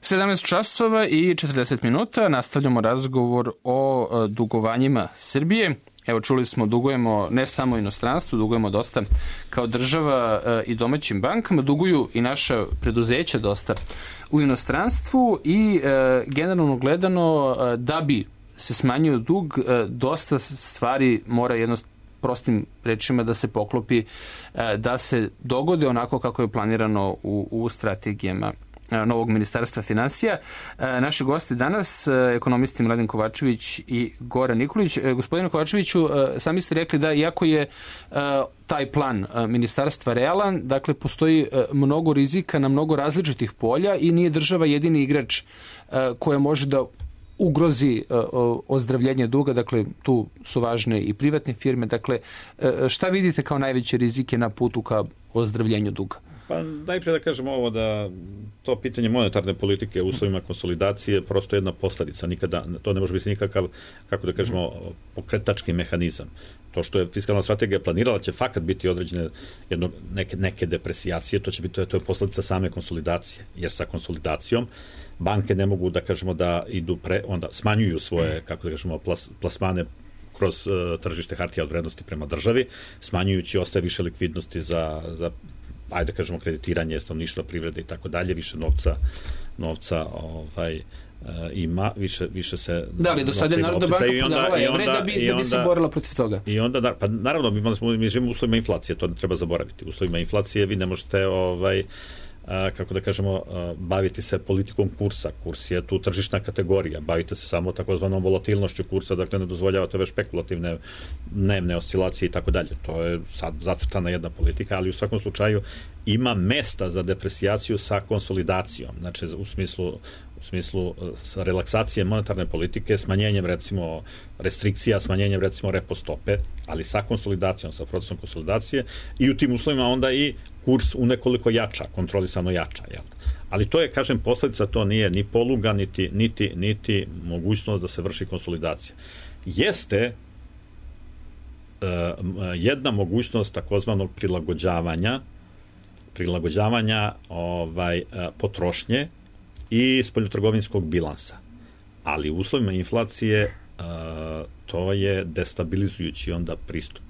sedamnaest časova i četrdeset minuta nastavljamo razgovor o dugovanjima Srbije. Evo, čuli smo, dugujemo ne samo inostranstvu, dugujemo dosta kao država i domaćim bankama, duguju i naša preduzeća dosta u inostranstvu i e, generalno gledano da bi se smanjio dug, e, dosta stvari mora jednostavno prostim rečima da se poklopi, e, da se dogode onako kako je planirano u, u strategijama novog ministarstva finansija. Naši gosti danas, ekonomisti Mladen Kovačević i Goran Nikolić. Gospodine Kovačeviću, sami ste rekli da iako je taj plan ministarstva realan, dakle postoji mnogo rizika na mnogo različitih polja i nije država jedini igrač koja može da ugrozi ozdravljenje duga, dakle tu su važne i privatne firme. Dakle, šta vidite kao najveće rizike na putu ka ozdravljenju duga? Pa najprije da kažemo ovo da to pitanje monetarne politike u uslovima konsolidacije prosto jedna posljedica, nikada, to ne može biti nikakav, kako da kažemo, pokretački mehanizam. To što je fiskalna strategija planirala će fakat biti određene jedno, neke, neke depresijacije, to će biti, to je, to je posljedica same konsolidacije, jer sa konsolidacijom banke ne mogu da kažemo da idu pre, onda smanjuju svoje, kako da kažemo, plas, plasmane kroz uh, tržište hartija od vrednosti prema državi, smanjujući ostaje više likvidnosti za, za ajde da kažemo kreditiranje stanovništva, privrede i tako dalje, više novca novca ovaj ima, više više se da li do sada je Narodna banka prodavala evre da bi da bi se borila protiv toga. I onda da, pa naravno mi smo mi živimo u uslovima inflacije, to ne treba zaboraviti. U uslovima inflacije vi ne možete ovaj a, kako da kažemo, a, baviti se politikom kursa. Kurs je tu tržišna kategorija. Bavite se samo takozvanom volatilnošću kursa, dakle ne dozvoljavate ove špekulativne dnevne oscilacije i tako dalje. To je sad zacrtana jedna politika, ali u svakom slučaju ima mesta za depresijaciju sa konsolidacijom. Znači u smislu u smislu relaksacije monetarne politike, smanjenjem recimo restrikcija, smanjenjem recimo repo stope, ali sa konsolidacijom, sa procesom konsolidacije i u tim uslovima onda i kurs u nekoliko jača, kontrolisano jača. Jel? Ali to je, kažem, posljedica, to nije ni poluga, niti, niti, niti mogućnost da se vrši konsolidacija. Jeste uh, jedna mogućnost takozvanog prilagođavanja prilagođavanja ovaj, potrošnje i spoljnotrgovinskog bilansa. Ali u uslovima inflacije uh, to je destabilizujući onda pristup.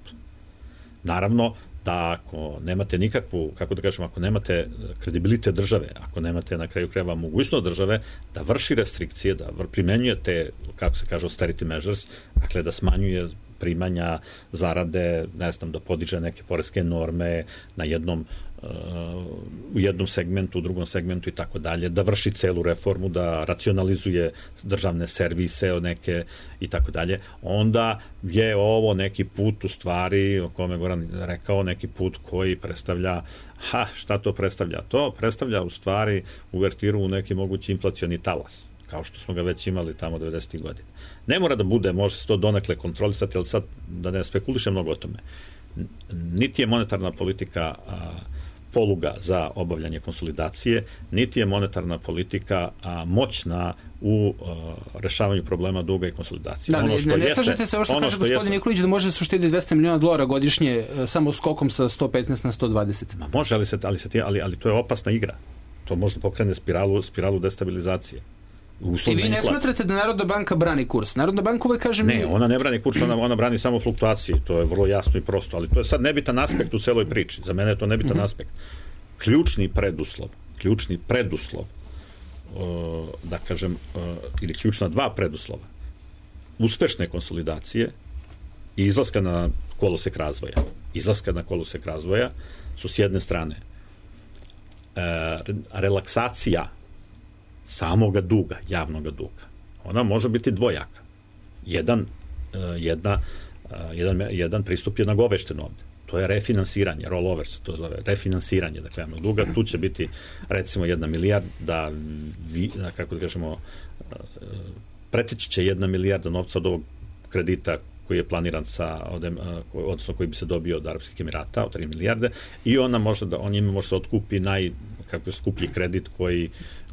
Naravno da ako nemate nikakvu, kako da kažem, ako nemate kredibilitet države, ako nemate na kraju krajeva mogućnost države da vrši restrikcije, da primenjuje te, kako se kaže, austerity measures, dakle da smanjuje primanja, zarade, ne znam, da podiže neke poreske norme na jednom u jednom segmentu, u drugom segmentu i tako dalje, da vrši celu reformu, da racionalizuje državne servise neke i tako dalje, onda je ovo neki put u stvari, o kome Goran rekao, neki put koji predstavlja, ha, šta to predstavlja? To predstavlja u stvari uvertiru u neki mogući inflacioni talas, kao što smo ga već imali tamo devedesetih godina. Ne mora da bude, može se to donekle kontrolisati, ali sad da ne spekulišem mnogo o tome. Niti je monetarna politika a, poluga za obavljanje konsolidacije, niti je monetarna politika a, moćna u a, rešavanju problema duga i konsolidacije. Da, ono što ne, ne jeste, slažete se ovo što ono kaže što gospodin jeste, Nikolić da može se uštediti dvesta miliona dolara godišnje samo skokom sa sto petnaest na sto dvadeset. Ma može, ali, se, ali, se, ali, ali to je opasna igra. To može da pokrene spiralu, spiralu destabilizacije. I vi ne smatrate da Narodna banka brani kurs? Narodna banka uvek kaže... Ne, ona ne brani kurs, ona, ona brani samo fluktuaciji. To je vrlo jasno i prosto, ali to je sad nebitan aspekt u celoj priči. Za mene je to nebitan mm-hmm. aspekt. Ključni preduslov, ključni preduslov, uh, da kažem, uh, ili ključna dva preduslova uspešne konsolidacije i izlaska na kolosek razvoja. Izlaska na kolosek razvoja su s jedne strane uh, relaksacija samoga duga, javnoga duga. Ona može biti dvojaka. Jedan, jedna, jedan, jedan pristup je nagovešten ovde. To je refinansiranje, rollover se to zove, refinansiranje, dakle, javnog duga. Tu će biti, recimo, jedna milijarda, vi, kako da kažemo, preteći će jedna milijarda novca od ovog kredita koji je planiran sa, odnosno koji bi se dobio od Arapskih Emirata, od tri milijarde, i ona može da, on njima može se otkupi naj, kako je skuplji kredit koji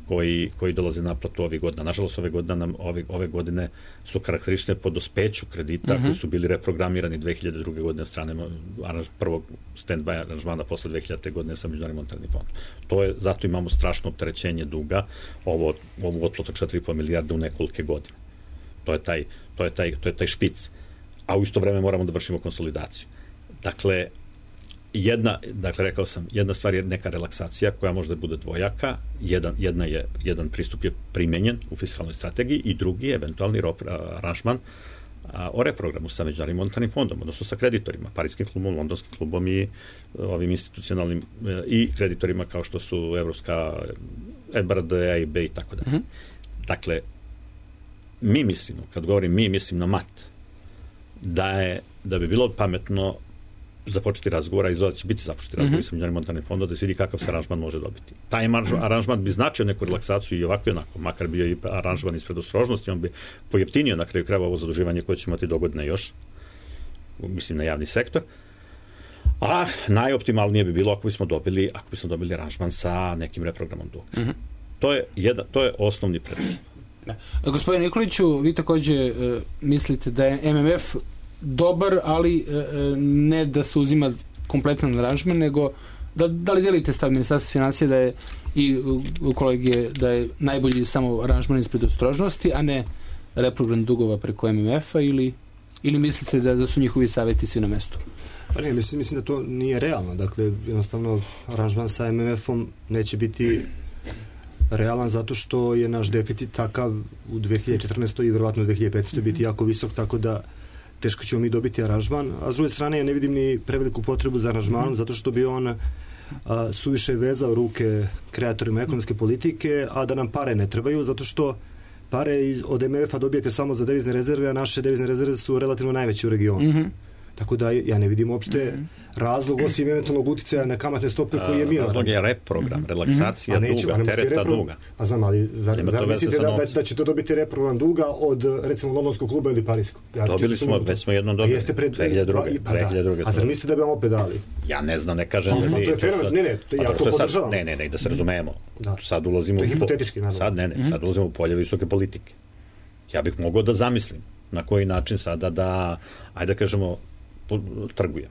koji, koji dolaze na naplatu ovih godina. Nažalost, ove godine, nam, ove, ove godine su karakteristične po dospeću kredita mm-hmm. koji su bili reprogramirani dve hiljade druge godine od strane aranž, prvog stand-by aranžmana posle dve hiljadite godine sa Međunarodnim monetarnim fondom. To je, zato imamo strašno opterećenje duga, ovo, ovu otplatu četiri i po milijarde u nekolike godine. To je taj, to je taj, to je taj špic. A u isto vreme moramo da vršimo konsolidaciju. Dakle, Jedna, dakle, rekao sam, jedna stvar je neka relaksacija koja može da bude dvojaka, jedan, jedna je, jedan pristup je primenjen u fiskalnoj strategiji i drugi je eventualni aranžman a, o reprogramu sa Međunarodnim monetarnim fondom, odnosno sa kreditorima, Parijskim klubom, Londonskim klubom i ovim institucionalnim e, i kreditorima kao što su Evropska, E B R D, E I B i tako dalje. Dakle, mi mislimo, kad govorim mi, mislim na mat, da je, da bi bilo pametno započeti razgovora i zove će biti započeti razgovor mm-hmm. sa Međunarodnim monetarnim fondom da se vidi kakav se aranžman može dobiti. Taj aranžman bi značio neku relaksaciju i ovako i onako, makar bio i aranžman ispred ostrožnosti, on bi pojeftinio na kraju krajeva ovo zaduživanje koje će imati dogodine još, mislim na javni sektor, a najoptimalnije bi bilo ako bismo dobili, ako bismo dobili aranžman sa nekim reprogramom duga. Mm-hmm. To je jedan, to je osnovni preduslov. Da. Gospodine Nikoliću, vi takođe uh, mislite da je M M F dobar, ali uh, ne da se uzima kompletan aranžman, nego da, da li delite stav Ministarstva financija da je i u kolegije da je najbolji samo aranžman ispred ostrožnosti, a ne reprogram dugova preko M M F-a ili, ili mislite da, da su njihovi savjeti svi na mestu? Pa ne, mislim, mislim da to nije realno. Dakle, jednostavno aranžman sa M M F-om neće biti realan zato što je naš deficit takav u dve hiljade četrnaestoj i verovatno u dve hiljade petnaestoj biti jako visok, tako da teško ćemo mi dobiti aranžman, a s druge strane ja ne vidim ni preveliku potrebu za aranžmanom zato što bi on a, suviše vezao ruke kreatorima ekonomske politike, a da nam pare ne trebaju zato što pare iz, od M M F-a dobijete samo za devizne rezerve, a naše devizne rezerve su relativno najveće u regionu. Mm-hmm. Tako da ja ne vidim uopšte mm-hmm. razlog osim eventualnog uticaja na kamatne stope koji je minoran. Razlog je reprogram, mm-hmm. relaksacija mm-hmm. duga, tereta repro... duga. A znam, ali zar, zar mislite da, da, da će to dobiti reprogram duga od recimo Londonskog kluba ili Parijskog? Ja, dobili smo, već smo jednom dobili. Jeste pred dve hiljade druge. Pa, da. A zar mislite da bi vam opet dali? Ja ne znam, ne kažem. Mm-hmm. Da to je fenomen, ne, ne, to, ja to podržavam. Ne, ne, ne, da se razumemo. Da. Sad ulazimo to je hipotetički, naravno. Sad ne, ne, mm-hmm. sad ulazimo u polje visoke politike. Ja bih mogao da zamislim na koji način sada da, ajde da kažemo, trgujem.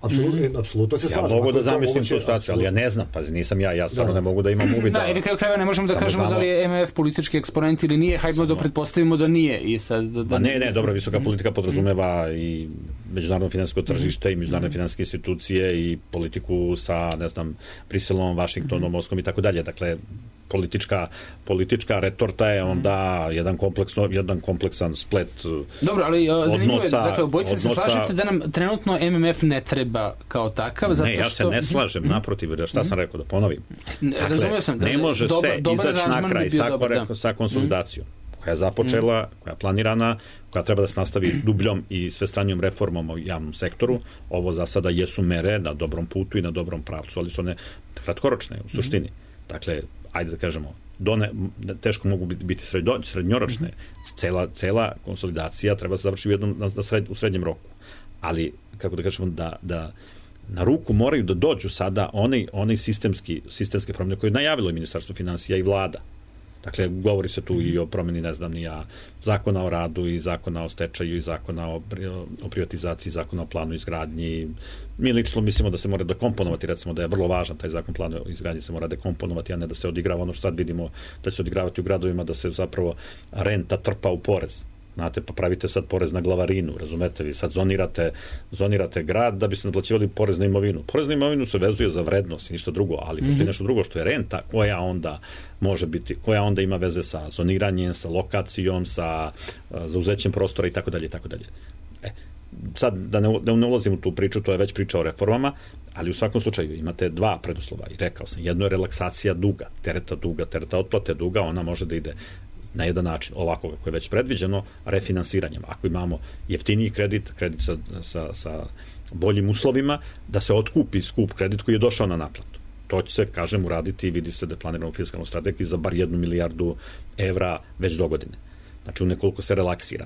Apsolutno, mm-hmm. apsolutno se slažem. Ja mogu da zamislim tu situaciju, ali ja ne znam, pazi, nisam ja, ja stvarno da. ne mogu da imam uvid. Da, ili kraju krajeva ne možemo da kažemo znamo... da li je M M F politički eksponent ili nije, hajdemo da pretpostavimo da nije. I sad, da, da... Ma ne, ne, dobro, visoka politika podrazumeva i međunarodno finansijsko tržište i međunarodne finansijske institucije i politiku sa, ne znam, Briselom, Vašingtonom, Moskom i tako dalje. Dakle, politička politička retorta je onda jedan kompleksno jedan kompleksan splet. Dobro, ali zanimljivo je, dakle, obojice se slažete da nam trenutno M M F ne treba kao takav, zato ne, ja se što... ne slažem, naprotiv, šta sam rekao, da ponovim. Dakle, razumio sam. Da, ne može dobar, se izaći na kraj sa, dobar, da. sa konsolidacijom, koja je započela, koja je planirana, koja treba da se nastavi dubljom i svestranijom reformom u javnom sektoru. Ovo za sada jesu mere na dobrom putu i na dobrom pravcu, ali su one kratkoročne u suštini. Dakle, ajde da kažemo, done, teško mogu biti, biti srednjo, srednjoročne. Mm-hmm. Cela, cela konsolidacija treba se završiti u, jednom, na, na sred, u srednjem roku. Ali, kako da kažemo, da, da na ruku moraju da dođu sada onaj, onaj sistemski, sistemske promjene koje je najavilo i Ministarstvo finansija i vlada. Dakle, govori se tu mm-hmm. i o promjeni, ne znam, ni ja, zakona o radu i zakona o stečaju i zakona o, o privatizaciji, zakona o planu izgradnji. Mi lično mislimo da se mora dekomponovati, recimo da je vrlo važan taj zakon planu izgradnji, se mora dekomponovati, a ne da se odigrava ono što sad vidimo da će se odigravati u gradovima, da se zapravo renta trpa u porez. Znate, pa pravite sad porez na glavarinu, razumete, vi sad zonirate, zonirate grad da bi se naplaćivali porez na imovinu. Porez na imovinu se vezuje za vrednost i ništa drugo, ali postoji mm-hmm. nešto drugo što je renta, koja onda može biti, koja onda ima veze sa zoniranjem, sa lokacijom, sa uh, zauzećem prostora i tako dalje i tako dalje. E, sad, da ne, da ne ulazim u tu priču, to je već priča o reformama, ali u svakom slučaju imate dva preduslova i rekao sam, jedno je relaksacija duga, tereta duga, tereta otplate duga, ona može da ide na jedan način, ovako kako je već predviđeno, refinansiranjem. Ako imamo jeftiniji kredit, kredit sa, sa, sa boljim uslovima, da se otkupi skup kredit koji je došao na naplatu. To će se, kažem, uraditi i vidi se da je planirano u fiskalnoj strategiji za bar jednu milijardu evra već do godine. Znači, u nekoliko se relaksira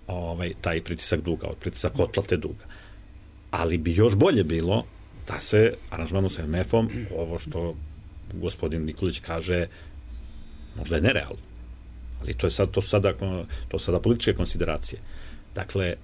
ovaj, taj pritisak duga, pritisak otplate duga. Ali bi još bolje bilo da se aranžmanom sa M M F-om, ovo što gospodin Nikolić kaže, Možda je nerealno. Ali to je sad, to sada, to sada političke konsideracije. Dakle,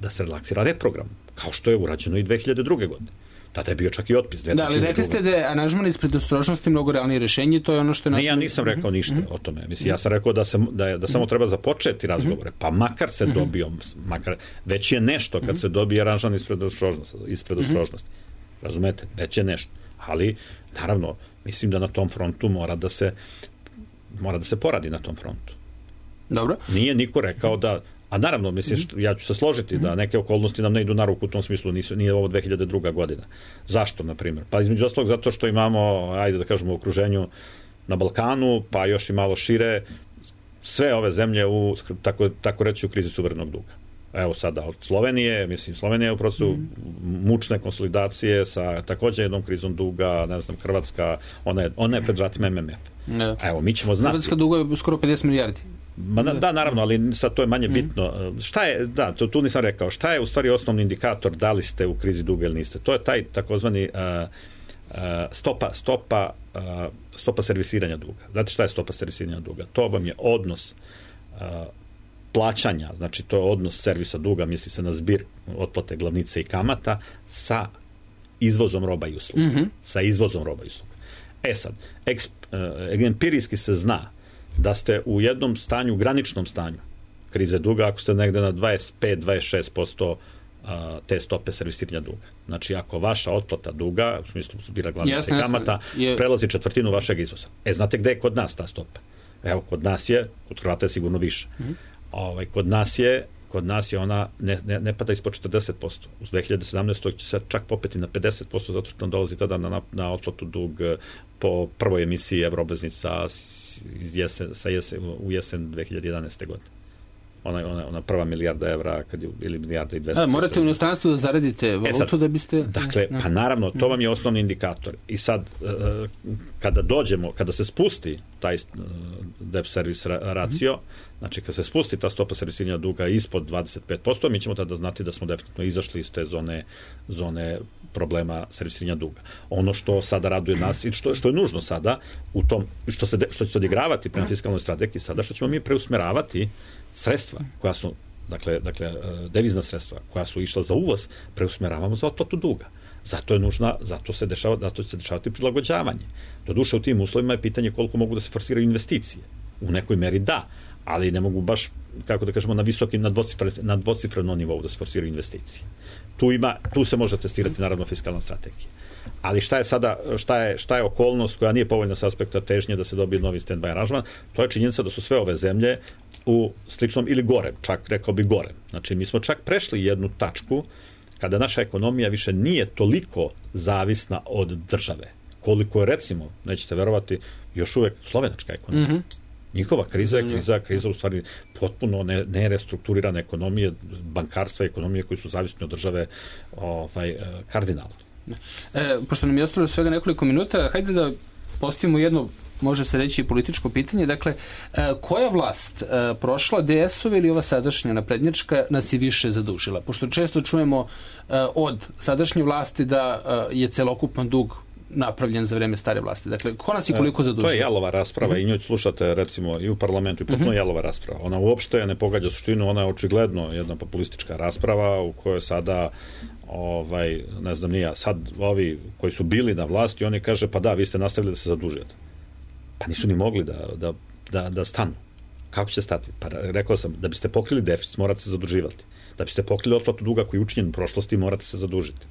da se relaksira reprogram, kao što je urađeno i dve hiljade druge godine. Tada je bio čak i otpis. Da, ali rekli ste da je aranžman iz predostrožnosti mnogo realnije rješenje, to je ono što je... Ne, ja nisam rekao ništa mm-hmm. o tome. Mislim, ja sam rekao da, se, da, je, da samo treba započeti razgovore, pa makar se mm-hmm. dobio, makar, već je nešto kad mm-hmm. se dobije aranžman iz predostrožnosti. Iz predostrožnosti. Mm-hmm. Razumete? Već je nešto. Ali, naravno, mislim da na tom frontu mora da se mora da se poradi na tom frontu. Dobro. Nije niko rekao da... A naravno, mislim, što, ja ću se složiti mm-hmm. da neke okolnosti nam ne idu na ruku u tom smislu, nisu, nije ovo dve hiljade druga godina. Zašto, na primjer? Pa između ostalog zato što imamo, ajde da kažemo, u okruženju na Balkanu, pa još i malo šire, sve ove zemlje u, tako, tako reći, u krizi suverenog duga. Evo sada od Slovenije, mislim, Slovenija je u procesu mm-hmm. mučne konsolidacije sa također jednom krizom duga, ne znam, Hrvatska, ona je, ona je pred vratima em em ef. Ne. Evo, mi ćemo znati. Hrvatska duga je skoro pedeset milijardi. Ma, da, da, naravno, ali sad to je manje bitno. Šta je, da, to, tu nisam rekao, šta je u stvari osnovni indikator da li ste u krizi duga ili niste? To je taj takozvani uh, uh, stopa, stopa, uh, stopa servisiranja duga. Znate šta je stopa servisiranja duga? To vam je odnos uh, plaćanja, znači to je odnos servisa duga, misli se na zbir otplate glavnice i kamata sa izvozom roba i usluga. Mm-hmm. Sa izvozom roba i usluga. E sad, eksp, uh, empirijski se zna da ste u jednom stanju, graničnom stanju krize duga, ako ste negde na dvadeset pet do dvadeset šest posto te stope servisiranja duga. Znači, ako vaša otplata duga, u smislu zbira glavnice i kamata, je... prelazi četvrtinu vašeg izvoza. E, znate gde je kod nas ta stopa? Evo, kod nas je, kod Hrvata je sigurno više. Mm-hmm. Ovaj, kod nas je kod nas je ona, ne, ne, ne pada ispod četrdeset posto. U dve hiljade sedamnaestoj će se čak popeti na pedeset posto, zato što nam dolazi tada na, na otplatu dug po prvoj emisiji evroobveznica iz jesen, sa jesen, u jesen dve hiljade jedanaeste godine. Ona, ona, ona prva milijarda evra, kad je, ili milijarda i dvesta. A, morate u inostranstvu da zaradite valutu e sad, da biste... Dakle, ne. pa naravno, to vam je osnovni indikator. I sad, kada dođemo, kada se spusti taj debt service ratio, mm-hmm. znači kada se spusti ta stopa servisiranja duga ispod dvadeset pet posto, mi ćemo tada znati da smo definitivno izašli iz te zone, zone problema servisiranja duga. Ono što sada raduje nas i što, što je nužno sada, u tom, što, se de, što će se odigravati prema fiskalnoj strategiji sada, što ćemo mi preusmeravati sredstva koja su, dakle, dakle, devizna sredstva koja su išla za uvoz, preusmeravamo za otplatu duga. Zato je nužna, zato se dešava, zato će se dešavati prilagođavanje. Doduše u tim uslovima je pitanje koliko mogu da se forsiraju investicije. U nekoj meri da, ali ne mogu baš, kako da kažemo, na visokim, na, dvocifre, na dvocifrenom nivou da se forsiraju investicije. Tu ima, tu se može testirati naravno fiskalna strategija. Ali šta je sada, šta je, šta je okolnost koja nije povoljna s aspekta težnje da se dobije novi stand-by aranžman, to je činjenica da su sve ove zemlje u sličnom ili gorem, čak rekao bi gorem. Znači mi smo čak prešli jednu tačku kada naša ekonomija više nije toliko zavisna od države. Koliko je, recimo, nećete verovati, još uvek slovenačka ekonomija. Mm-hmm. Njihova kriza je kriza, kriza u stvari potpuno ne, nerestrukturirane ekonomije, bankarstva i ekonomije koji su zavisni od države ovaj, kardinalno. E, pošto nam je ostalo svega nekoliko minuta, hajde da postavimo jedno, može se reći, političko pitanje. Dakle, e, koja vlast, e, prošla D S-ova ili ova sadašnja naprednjačka, nas je više zadužila? Pošto često čujemo e, od sadašnje vlasti da e, je celokupan dug napravljen za vreme stare vlasti. Dakle, ko nas i koliko zadužila? To je jalova rasprava mm-hmm. i nju slušate, recimo, i u parlamentu i potpuno mm-hmm. jalova rasprava. Ona uopšte ne pogađa suštinu, ona je očigledno jedna populistička rasprava u kojoj sada ovaj, ne znam nija, sad ovi koji su bili na vlasti, oni kaže, pa da, vi ste nastavili da se zadužujete. Pa nisu ni mogli da, da, da, da stanu. Kako će stati? Pa rekao sam, da biste pokrili deficit, morate se zaduživati. Da biste pokrili otplatu duga koji je učinjen u prošlosti, morate se zadužiti.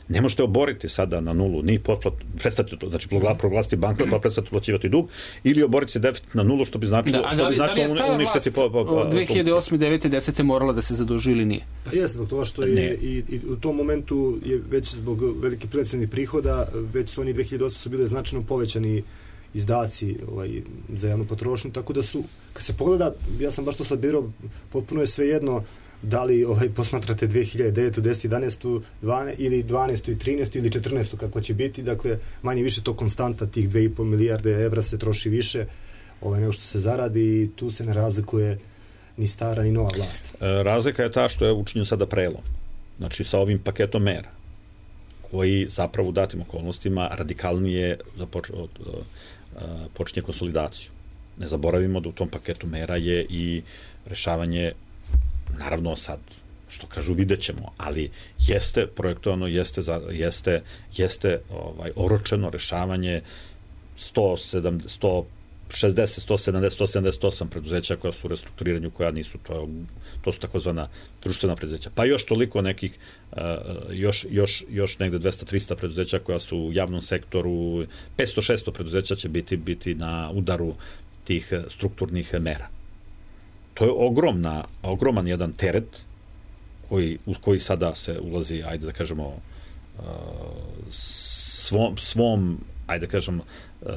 Ne možete oboriti sada na nulu, ni potplat, prestati to, znači proglasiti bankrot, pa prestati plaćivati dug, ili oboriti se deficit na nulu, što bi značilo, da, što da, bi značilo da uništiti po, po, po, dve hiljade osme, devete, desete morala da se zaduži ili nije? Pa jeste, zbog toga što je i, i u tom momentu je već zbog velikih prihodnih prihoda, već su oni dve hiljade osme su bile značajno povećani izdaci ovaj, za javnu potrošnju, tako da su, kad se pogleda, ja sam baš to sad birao, potpuno je sve jedno da li ovaj, posmatrate dve hiljade devetu, desetu, jedanaestu, dvanaestu ili dvanaestu i trinaestu ili četrnaestu kako će biti, dakle manje više to konstanta tih dve i po milijarde evra se troši više ovaj, nego što se zaradi i tu se ne razlikuje ni stara ni nova vlast. E, razlika je ta što je učinjen sada prelom, znači sa ovim paketom mera koji zapravo u datim okolnostima radikalnije započ, od, uh, počinje konsolidaciju. ne zaboravimo da u tom paketu mera je i rešavanje, naravno sad, što kažu, vidjet ćemo, ali jeste projektovano, jeste, za, jeste, jeste ovaj, oročeno rešavanje sto šezdeset, sto sedamdeset, sto sedamdeset osam preduzeća koja su u restrukturiranju, koja nisu, to, to su takozvana društvena preduzeća. Pa još toliko nekih, uh, još, još, još negde dvesta trista preduzeća koja su u javnom sektoru, petsto šesto preduzeća će biti, biti na udaru tih strukturnih mera. To je ogromna, ogroman jedan teret koji, u koji sada se ulazi, ajde da kažemo, uh, svom, svom, ajde da kažem, uh,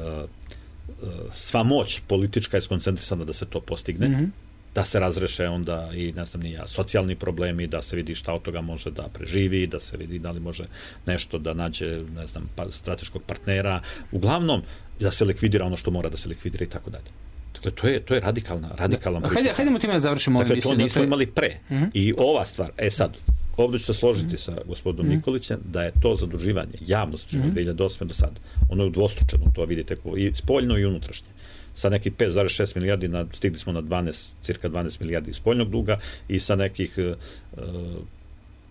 sva moć politička je skoncentrisana da se to postigne, mm-hmm. da se razreše onda i, ne znam, nija, socijalni problemi, da se vidi šta od toga može da preživi, da se vidi da li može nešto da nađe, ne znam, pa, strateškog partnera, uglavnom da se likvidira ono što mora da se likvidira i tako dalje. Dakle, to je, to je radikalna, radikalna pristup. Hajde, hajdemo time da završimo. Dakle, to nismo imali pre. Mm-hmm. I ova stvar, e sad, ovdje ću se složiti mm-hmm. sa gospodinom mm-hmm. Nikolićem da je to zaduživanje, javno zaduživanje mm-hmm. dve hiljade osme do sada. Ono je udvostručeno, to vidite, i spoljno i unutrašnje. Sa nekih pet zarez šest milijardi na, stigli smo na dvanaest, cirka dvanaest milijardi spoljnog duga i sa nekih uh,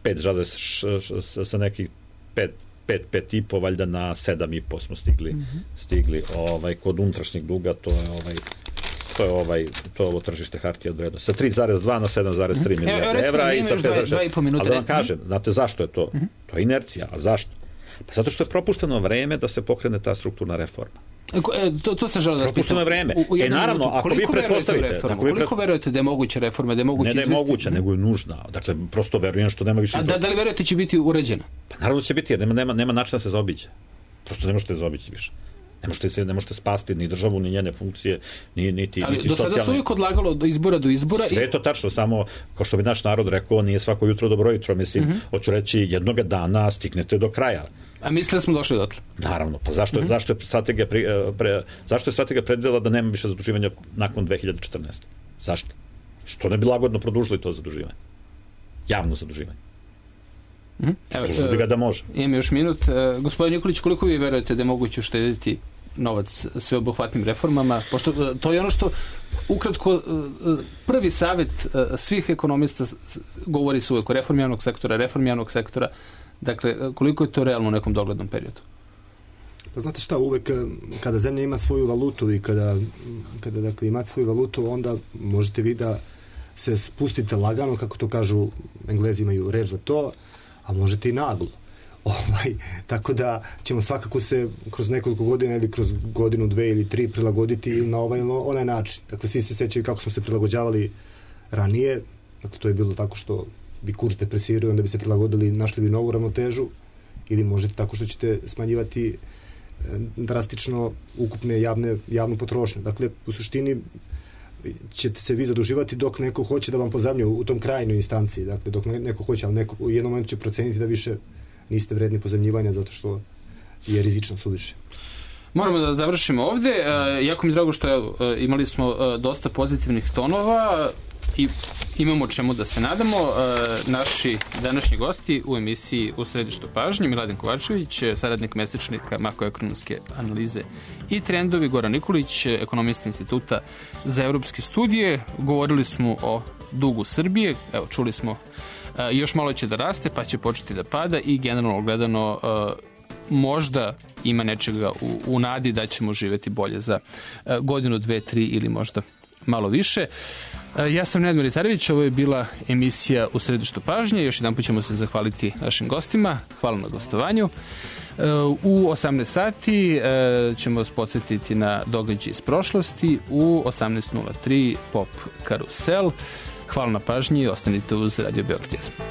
pet, sa nekih pet, pet, pet i po, valjda na sedam i po smo stigli, mm-hmm. stigli ovaj, kod unutrašnjeg duga, to je ovaj to je ovaj to je ovo tržište hartija od vrednosti. Sa tri zarez dva na sedam zarez tri milijarde evra i sa pet zarez šest. Ali da vam kažem, znate zašto je to? Mm-hmm. To je inercija. A zašto? Pa zato što je propušteno vreme da se pokrene ta strukturna reforma. E, to, to se žele da propušteno vreme. U, u e, naravno, minutu, ako vi pretpostavite... Ako vi koliko pre... verujete da je moguća reforma, da je moguće... Ne da je moguća, nego je nužna. Dakle, prosto verujem što nema više... A da, da li verujete će biti uređena? Pa naravno će biti, jer nema, nema, nema načina da se zaobiđe. Prosto ne možete zaobići više. Ne možete, se, ne možete spasti ni državu, ni njene funkcije, ni, niti, ali niti do socijalne... sada su uvijek odlagalo do izbora do izbora. Sve je to tačno, samo, kao što bi naš narod rekao, nije svako jutro dobro jutro. Mislim, mm-hmm. hoću reći, jednoga dana stignete do kraja. A mislite da smo došli dotle? Naravno, pa zašto, mm-hmm. zašto je strategija pre, pre, zašto je strategija predvidela da nema više zaduživanja nakon dve hiljade četrnaeste. Zašto? Što ne bi lagodno produžili to zaduživanje? Javno zaduživanje. Mm-hmm. Evo, Produžili bi ga da može. Imam još minut. E, gospodin Nikolić, koliko vi verujete da je moguće uštediti novac sveobuhvatnim reformama? Pošto to je ono što ukratko prvi savjet svih ekonomista govori se uvijek o reformi javnog sektora, reformi javnog sektora. Dakle, koliko je to realno u nekom doglednom periodu? Pa znate šta, uvek kada zemlja ima svoju valutu i kada, kada dakle, imate svoju valutu, onda možete vi da se spustite lagano, kako to kažu, Englezi imaju reč za to, a možete i naglo. Ovaj, tako da ćemo svakako se kroz nekoliko godina ili kroz godinu, dve ili tri prilagoditi na ovaj ili onaj način. Dakle, svi se sećaju kako smo se prilagođavali ranije. Dakle, to je bilo tako što bi kurs depresirao, onda bi se prilagodili, našli bi novu ravnotežu, ili možete tako što ćete smanjivati drastično ukupne javne, javnu potrošnju. Dakle, u suštini ćete se vi zaduživati dok neko hoće da vam pozajmljuje u tom krajnoj instanciji. Dakle, dok neko hoće, ali neko u jednom momentu će proceniti da više niste vredni pozajmljivanja zato što je rizično suviše. Moramo da završimo ovde. E, jako mi drago što e, imali smo e, dosta pozitivnih tonova i imamo čemu da se nadamo. E, naši današnji gosti u emisiji U središtu pažnje, Miladin Kovačević, saradnik mesečnika makroekonomske analize i trendovi, Goran Nikolić, ekonomista Instituta za evropske studije. Govorili smo o dugu Srbije. Evo, čuli smo e, još malo će da raste, pa će početi da pada i generalno gledano e, možda ima nečega u, u nadi da ćemo živjeti bolje za e, godinu, dve, tri ili možda malo više. E, ja sam Nenad Militarević, ovo je bila emisija U središtu pažnje. Još jedan put ćemo se zahvaliti našim gostima. Hvala na gostovanju. E, u osamnaest sati e, ćemo vas podsjetiti na događaj iz prošlosti. U osamnaest nula tri Pop Karusel. Hvala na pažnji i ostanite uz Radio Beograd.